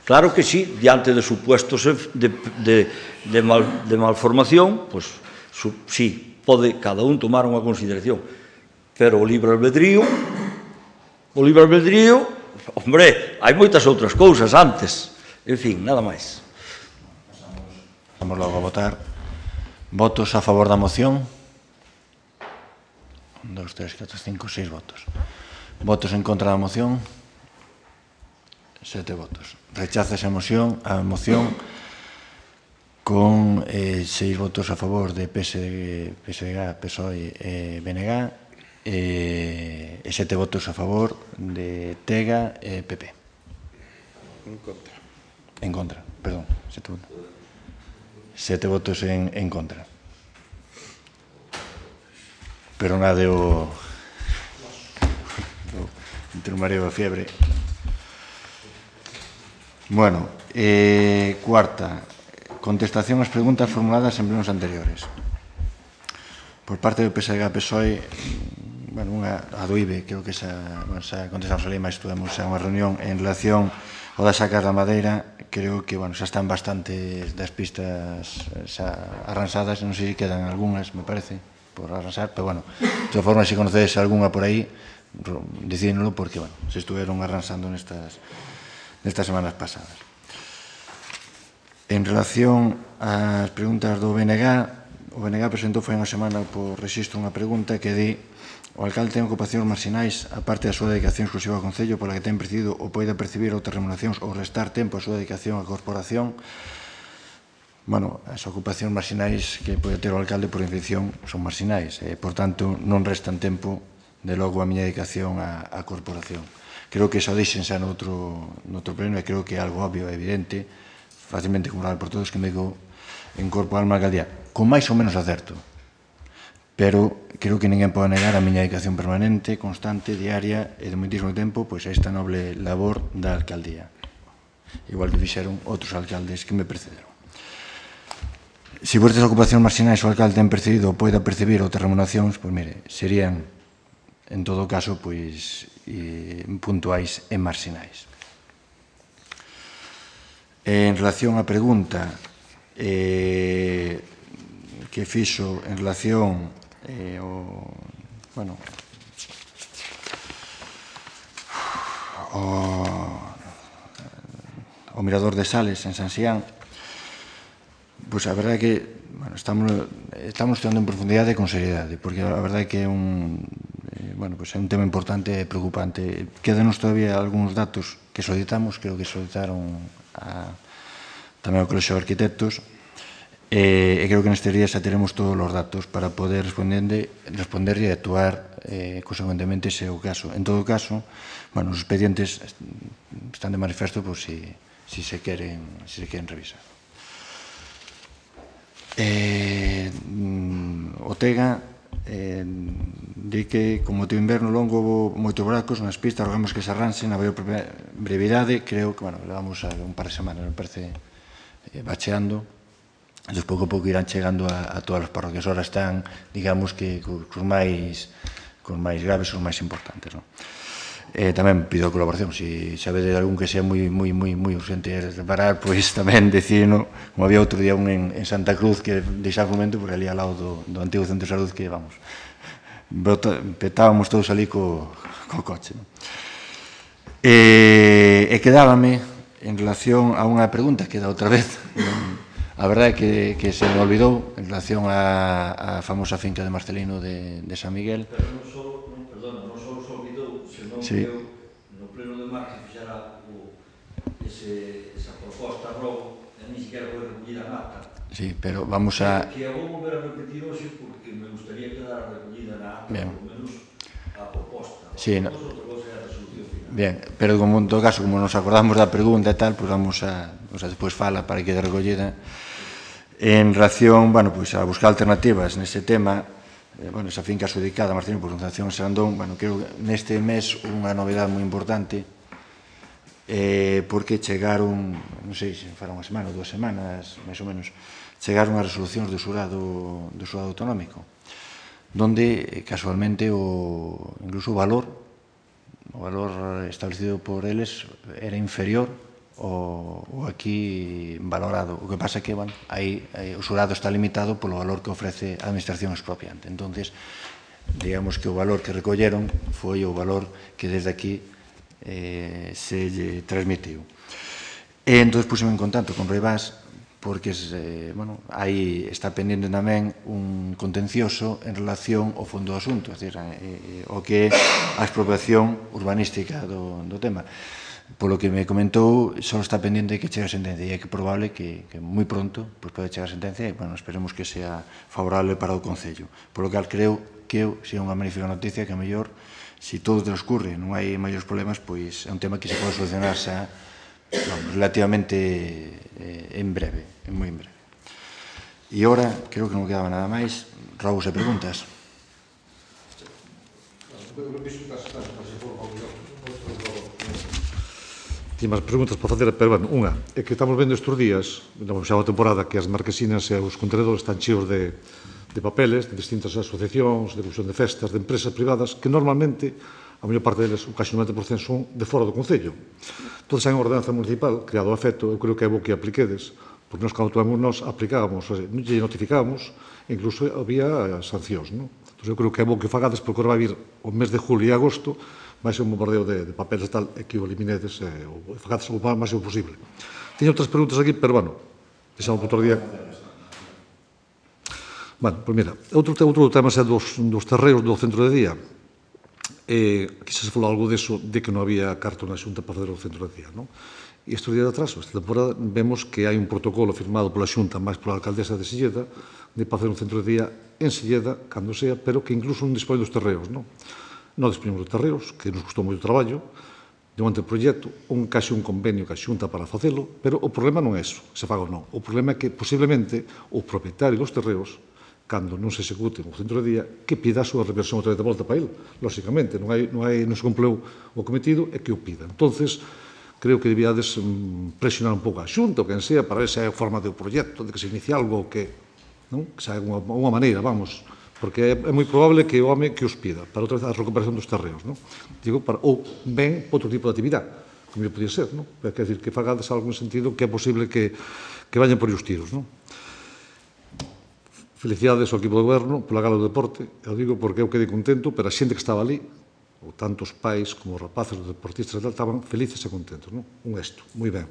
Claro que sí, diante de supuestos de malformación, pois sí, pode cada un tomar unha consideración. Pero o libre albedrío, hombre, hai moitas outras cousas antes. En fin, nada máis. Vamos logo a votar. Votos a favor da moción? 1, 2, 3, 4, 5, 6 votos. Votos en contra da moción? 7 votos. Recházase a moción con 6 votos a favor de PSDG, PSOE e BNG e 7 votos a favor de TEGA e PP. En contra, perdón, 7 votos. 7 votos en contra. Pero nada de entre o mareo e a fiebre. Bueno, cuarta, contestación ás preguntas formuladas en plenos anteriores. Por parte do PSDG-PSOE, bueno, a do IBE, creo que xa contestamos ali, mas tuvemos unha reunión en relación ao das sacas da madeira. Creo que, bueno, xa están bastantes das pistas xa arransadas, non sei se quedan algunhas, me parece, por arransar, pero, bueno, de todas formas, se conocedes algunha por aí, dicídnolo, porque, bueno, se estuveron arransando nestas semanas pasadas. En relación ás preguntas do BNG, o BNG presentou foi unha semana por rexistro unha pregunta que di: o alcalde ten ocupacións marxinais, aparte da súa dedicación exclusiva ao Concello, pola que ten percibido ou poida percibir outras remuneracións ou restar tempo a súa dedicación á corporación. Bueno, as ocupacións marxinais que pode ter o alcalde por definición son marxinais, por tanto, non restan tempo, de logo, a miña dedicación á corporación. Creo que xa o dixen xa noutro pleno e creo que é algo obvio e evidente, facilmente acumulado por todos, que me digo en corpo alma alcaldía, con máis ou menos acerto. Pero creo que ninguén pode negar a miña dedicación permanente, constante, diaria e de moitísimo tempo pois a esta noble labor da alcaldía. Igual que fixeron outros alcaldes que me precederon. Se por estas ocupacións marxinais o alcalde ten percibido ou poida percibir outras remuneracións, pois mire, serían, en todo caso, pois puntuais e marxinais. En relación á pregunta que fixo en relación o Mirador de Sales en San Xián, pois a verdade é que estamos estudando en profundidade e con seriedade, porque a verdade é que é un tema importante e preocupante. Quédanos todavía algúns datos que solicitamos, creo que solicitaron tamén ao Colexio de Arquitectos, e creo que nestes días xa teremos todos os datos para poder responder e actuar consecuentemente se é o caso. En todo caso, os expedientes están de manifesto por si se queren revisar. O TEGA di que con motivo inverno longo houve moitos buracos nas pistas, rogamos que se arranxen a brevidade. Creo que levamos un par de semanas, me parece, bacheando. Entón, pouco a pouco irán chegando a todas as parroquias. Ahora están, digamos que, cos máis graves, os máis importantes. Tamén pido a colaboración. Se sabedes algún que sea moi urgente reparar, pois tamén decídeno. Como había outro día un en Santa Cruz que deixaba un momento, porque ali ao lado do antigo centro de salud, que, vamos, petábamos todos ali co coche. E quedábame, en relación a unha pregunta que da outra vez, a verdade é que se me olvidou, en relación á famosa finca de Marcelino de San Miguel. Pero non só se olvidou, senón que eu, no pleno de marzo, fixera esa proposta logo Ni siquiera foi recollida en acta. Sí, pero vamos a... Que a vou volver a repetir hoxe porque me gustaría quedar recollida na acta, Bien. polo menos a proposta. Sí, no. Outra cosa é a resolución final. Bien, pero como en todo caso, como nos acordamos da pregunta e tal, pues vamos a... O sea, despois fala para que quede recollida. En relación, bueno, pues a buscar alternativas nese tema, bueno, esa finca adjudicada a Martín por Concepción Sandón, bueno, creo que neste mes unha novedade moi importante, porque chegaron, non sei se fará unha semana ou 2 semanas, máis ou menos, chegaron as resolucións do xurado autonómico, donde casualmente incluso o valor establecido por eles era inferior ao aquí valorado. O que pasa é que, bueno, aí o xurado está limitado polo valor que ofrece a administración expropiante. Entonces, digamos que o valor que recolleron foi o valor que desde aquí se lle transmitiu. E entón, puseme en contacto con Roibás, porque bueno, aí está pendente tamén un contencioso en relación ao fondo do asunto, é dicir, o que é a expropiación urbanística do tema. Polo que me comentou, só está pendente que chegue a sentencia, e é que probable que moi pronto pode chegar a sentencia, e, bueno, esperemos que sea favorable para o Concello. Polo que creo que é unha magnífica noticia que a mellor, se todo transcurre, non hai maiores problemas, pois é un tema que se pode solucionar xa relativamente en breve, moi en breve. E ora, creo que non quedaba nada máis, rogos e preguntas. Tinha máis preguntas para facer, pero, bueno, unha, é que estamos vendo estes días, xa a temporada, que as marquesinas e os contenedores están cheos de papeles, de distintas asociacións, de comisión de festas, de empresas privadas, que normalmente, a maior parte deles, casi 90%, son de fora do Concello. Entón, hai unha ordenanza municipal, creado a efecto, eu creo que é bo que apliquedes, porque nós, cando nos aplicábamos, non lle notificábamos, incluso había sancións, non? Entón, eu creo que é bo que fagades, porque agora vai vir o mes de julio e agosto, vai ser un bombardeo de papeles e tal, e que o eliminedes, e fagades o máximo posible. Teño outras preguntas aquí, pero, bueno, deixamos para outro día. Bueno, pois mira, outro tema é dos terreos do centro de día. Aquí se falou algo deso, de que non había carta na Xunta para fazer o centro de día, non? E estes días de atrás, esta temporada, vemos que hai un protocolo firmado pola Xunta, máis pola alcaldesa de Silleda, de para facer un centro de día en Silleda, cando sea, pero que incluso non dispón dos terreos, non? Non dispoñemos dos terreos, que nos custou moito traballo, de un anteproxecto, case un convenio que a Xunta para facelo, pero o problema non é eso, se faga ou non. O problema é que, posiblemente, o propietario dos terreos, cando non se execute o centro de día, que pida a súa reversión outra vez de volta para ele. Lóxicamente, non se cumpleu o cometido, é que o pida. Entonces, creo que debíades presionar un pouco a Xunta, ou quen sea, para ver se hai forma de proxecto, de que se inicie algo que se hai unha maneira, vamos, porque é moi probable que o home que os pida para outra vez a recuperación dos terreos, non? Digo, ou ben outro tipo de actividade, como podía ser, non? Quer dizer, que fagades algo en sentido que é posible que vayan por os tiros, non? Felicidades ao equipo de goberno pola gala do deporte, eu digo porque eu quedei contento, pero a xente que estaba ali, ou tanto os pais como os rapaces, os deportistas, estaban felices e contentos, non? Un éxito, moi ben.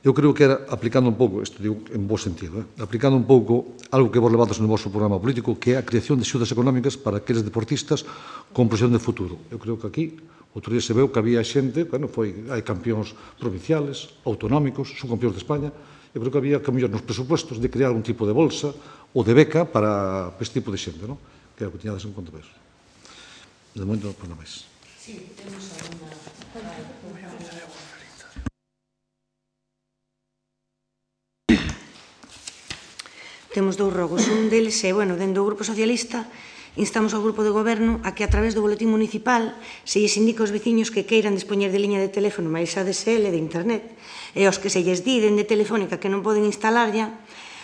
Eu creo que era, aplicando un pouco, isto digo en bo sentido, aplicando un pouco algo que vos levados no vosso programa político, que é a creación de axudas económicas para aqueles deportistas con proxección de futuro. Eu creo que aquí, outro día se veu que había xente, bueno, hai campións provinciales, autonómicos, subcampións de España, eu creo que había que mellor nos presupuestos de crear un tipo de bolsa ou de beca para este tipo de xente, non? Que é o que tiñades en conta peso. De momento, pois non máis. Sí, temos alguna... Temos dous rogos. Un deles é, bueno, dentro do Grupo Socialista, instamos ao Grupo de Goberno a que a través do boletín municipal se lles indica aos veciños que queiran dispoñer de liña de teléfono máis ADSL de internet e aos que se lles di dende Telefónica que non poden instalarlla,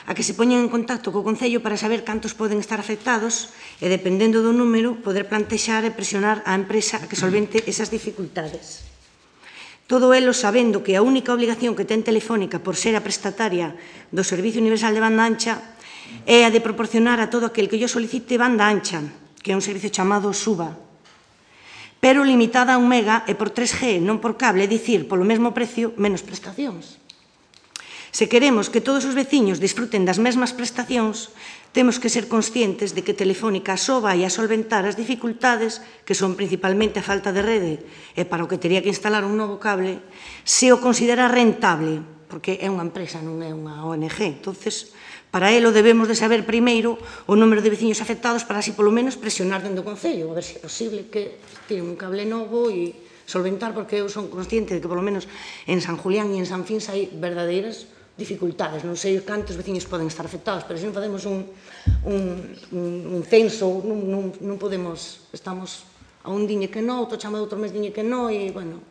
a que se poñen en contacto co Concello para saber cantos poden estar afectados e, dependendo do número, poder plantexar e presionar á empresa a que solvente esas dificultades. Todo elo sabendo que a única obligación que ten Telefónica por ser a prestataria do Servicio Universal de Banda Ancha é a de proporcionar a todo aquel que yo solicite banda ancha, que é un servicio chamado SUBA, pero limitada a 1 mega e por 3G, non por cable, é dicir, polo mesmo precio, menos prestacións. Se queremos que todos os veciños disfruten das mesmas prestacións, temos que ser conscientes de que Telefónica só vai a solventar as dificultades, que son principalmente a falta de rede e para o que teria que instalar un novo cable, se o considera rentable, porque é unha empresa, non é unha ONG. Entonces, para elo debemos de saber primeiro o número de veciños afectados para así polo menos presionar dentro do Concello, a ver se é posible que tiren un cable novo e solventar, porque eu son consciente de que polo menos en San Julián e en San Fins hai verdadeiras dificultades. Non sei cantos veciños poden estar afectados, pero se non facemos un censo, non podemos, estamos a un diñe que non, outro chama de outro mes diñe que non, e, bueno,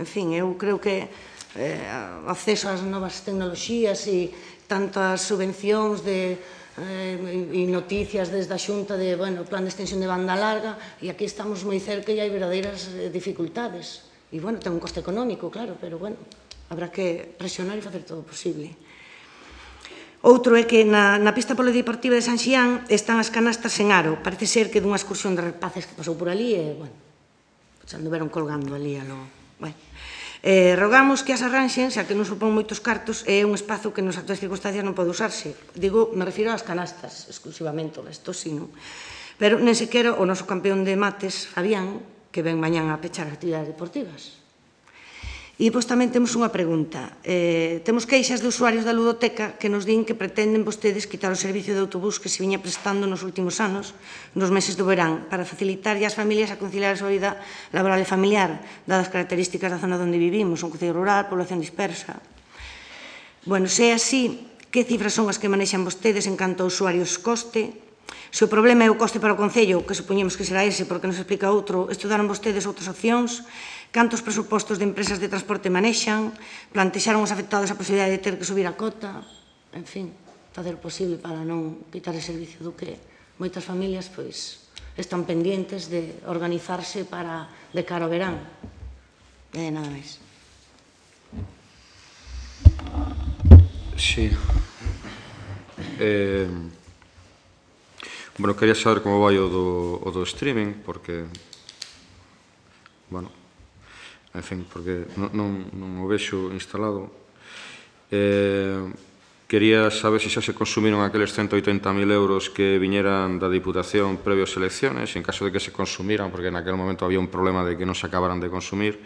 en fin, eu creo que acceso ás novas tecnoloxías e tantas subvencións e noticias desde a Xunta de, bueno, plan de extensión de banda larga, e aquí estamos moi cerca e hai verdadeiras dificultades. E, bueno, ten un coste económico, claro, pero, bueno, habrá que presionar e facer todo o posible. Outro é que na pista polideportiva de San Xián están as canastas en aro. Parece ser que dunha excursión de rapaces que pasou por ali e, bueno, xa anduveron colgando ali a lo... Bueno, rogamos que as arranxen, xa que non supón moitos cartos, é un espazo que nas actuais circunstancias non pode usarse. Digo, me refiro ás canastas exclusivamente, o resto sí, non? Pero nen sequera o noso campeón de mates, Fabián, que ven mañán a pechar actividades deportivas. E, pois, tamén temos unha pregunta. Temos queixas de usuarios da ludoteca que nos din que pretenden vostedes quitar o servicio de autobús que se viña prestando nos últimos anos, nos meses do verán, para facilitar as familias a conciliar a súa vida laboral e familiar, dadas as características da zona onde vivimos, un concello rural, población dispersa. Bueno, se é así, que cifras son as que manexan vostedes en canto a usuarios coste? Se o problema é o coste para o concello, que supoñemos que será ese, porque nos explica outro, estudaron vostedes outras opcións? Cantos presupostos de empresas de transporte manexan? Plantexaron os afectados a posibilidade de ter que subir a cota? En fin, facer o posible para non quitar o servicio do que moitas familias pois están pendientes de organizarse para de cara ao verán. Nada máis. Sí. Bueno, quería saber como vai o do streaming, porque, bueno, en fin, porque non o vexo instalado. Quería saber se xa se consumiron aqueles 180.000 euros que viñeran da Diputación previo ás elecciones, en caso de que se consumiran, porque naquele momento había un problema de que non se acabaran de consumir.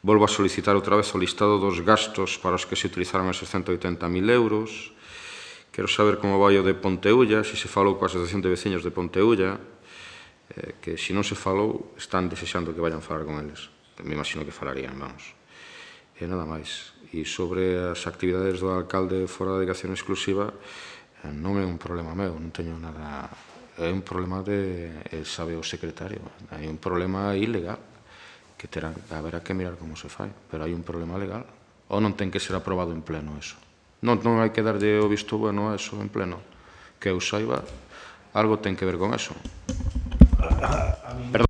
Volvo a solicitar outra vez o listado dos gastos para os que se utilizaron esos 180.000 euros. Quero saber como vai o de Ponteulla, se se falou coa Asociación de Veciños de Ponteulla, que se non se falou, están desexando que vayan falar con eles. Me imagino que falarían, vamos. E nada máis. E sobre as actividades do alcalde fora da dedicación exclusiva, non é un problema meu, non teño nada... É un problema de... sabe o secretario. Hai un problema ilegal que haberá que mirar como se fai, pero hai un problema legal. Ou non ten que ser aprobado en pleno eso. Non hai que darlle o visto bueno a eso en pleno. Que eu saiba, algo ten que ver con eso. Perdón.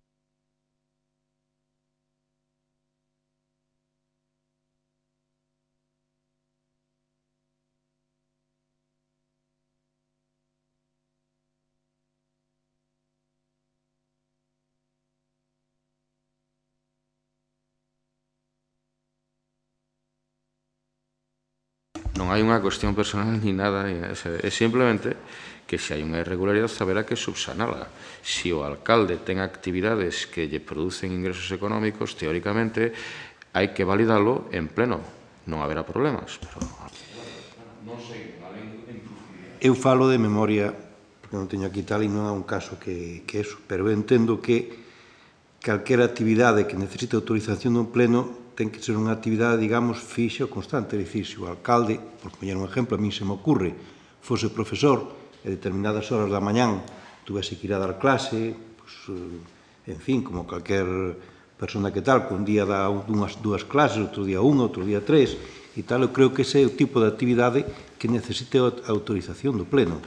Non hai unha cuestión personal ni nada, é simplemente que se hai unha irregularidade haberá que subsanala. Se o alcalde ten actividades que lle producen ingresos económicos, teóricamente hai que validalo en pleno. Non haberá problemas. Eu falo de memoria, porque non teño aquí tal, e non é un caso que eso, pero eu entendo que calquera actividade que necesite autorización dun pleno ten que ser unha actividade, digamos, fixa ou constante. É dicir, se o alcalde, por poñer un exemplo, a mí se me ocurre, fose profesor e determinadas horas da mañán tuvese que ir a dar clase, en fin, como calquer persona que tal, que un día dá dúas clases, outro día unha, outro día tres, e tal, eu creo que ese é o tipo de actividade que necesite a autorización do pleno.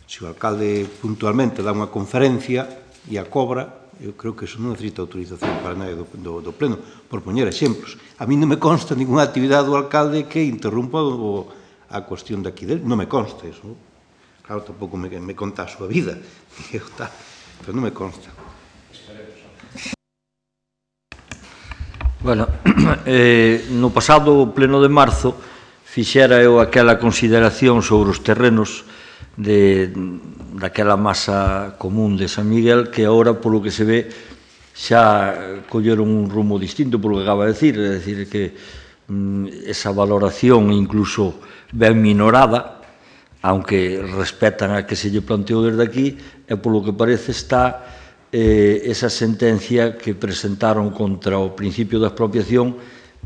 Se o alcalde puntualmente dá unha conferencia e a cobra, eu creo que eso non necesita autorización para nada do pleno, por poñer exemplos. A mí non me consta ninguna actividade do alcalde que interrumpa a cuestión de aquí dele, non me consta eso. Claro, tampouco me conta a súa vida, pero non me consta. Bueno, no pasado pleno de marzo fixera eu aquela consideración sobre os terrenos daquela masa común de San Miguel, que agora, polo que se ve, xa colleron un rumo distinto polo que acaba de decir, é dicir, que esa valoración incluso ben minorada, aunque respetan a que se lle planteou desde aquí, e polo que parece está esa sentencia que presentaron contra o principio da expropiación,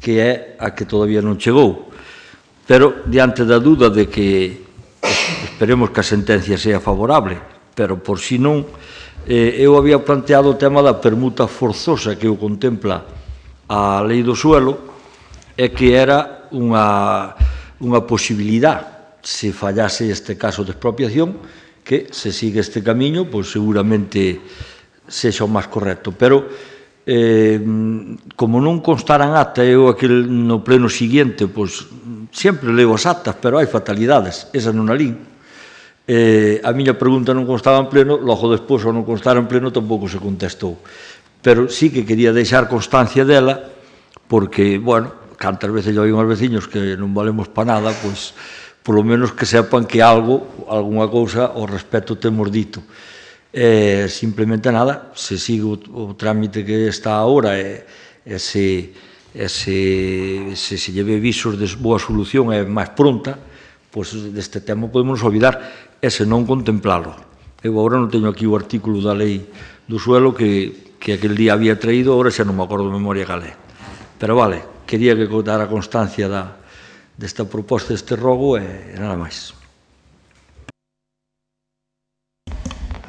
que é a que todavía non chegou. Pero, diante da dúda de que esperemos que a sentencia sea favorable, pero por si non, eu había planteado o tema da permuta forzosa que o contempla a lei do suelo, e que era unha posibilidad, se fallase este caso de expropiación, que se sigue este camiño, pois seguramente sexa o máis correcto. Pero, como non constara en acta, eu no pleno siguiente, pois, sempre leo as actas, pero hai fatalidades, esa non a lín. A miña pregunta non constaba en pleno, logo despois, ao non constar en pleno, tampouco se contestou. Pero sí que quería deixar constancia dela, porque, bueno, cantas veces lle oín aos veciños que non valemos pa nada, pois, polo menos que sepan que algunha cousa ao respecto temos dito. Simplemente nada, se sigue o trámite que está agora e se lle ve visos de boa solución e máis pronta, pois deste tema podemos olvidar e se non contemplalo. Eu agora non teño aquí o artículo da lei do suelo que aquel día había traído, agora xa non me acordo de memoria cal é. Pero vale, quería que dara constancia desta proposta, deste rogo, e nada máis.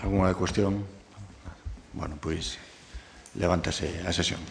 Alguna cuestión? Bueno, pois, levántase a sesión.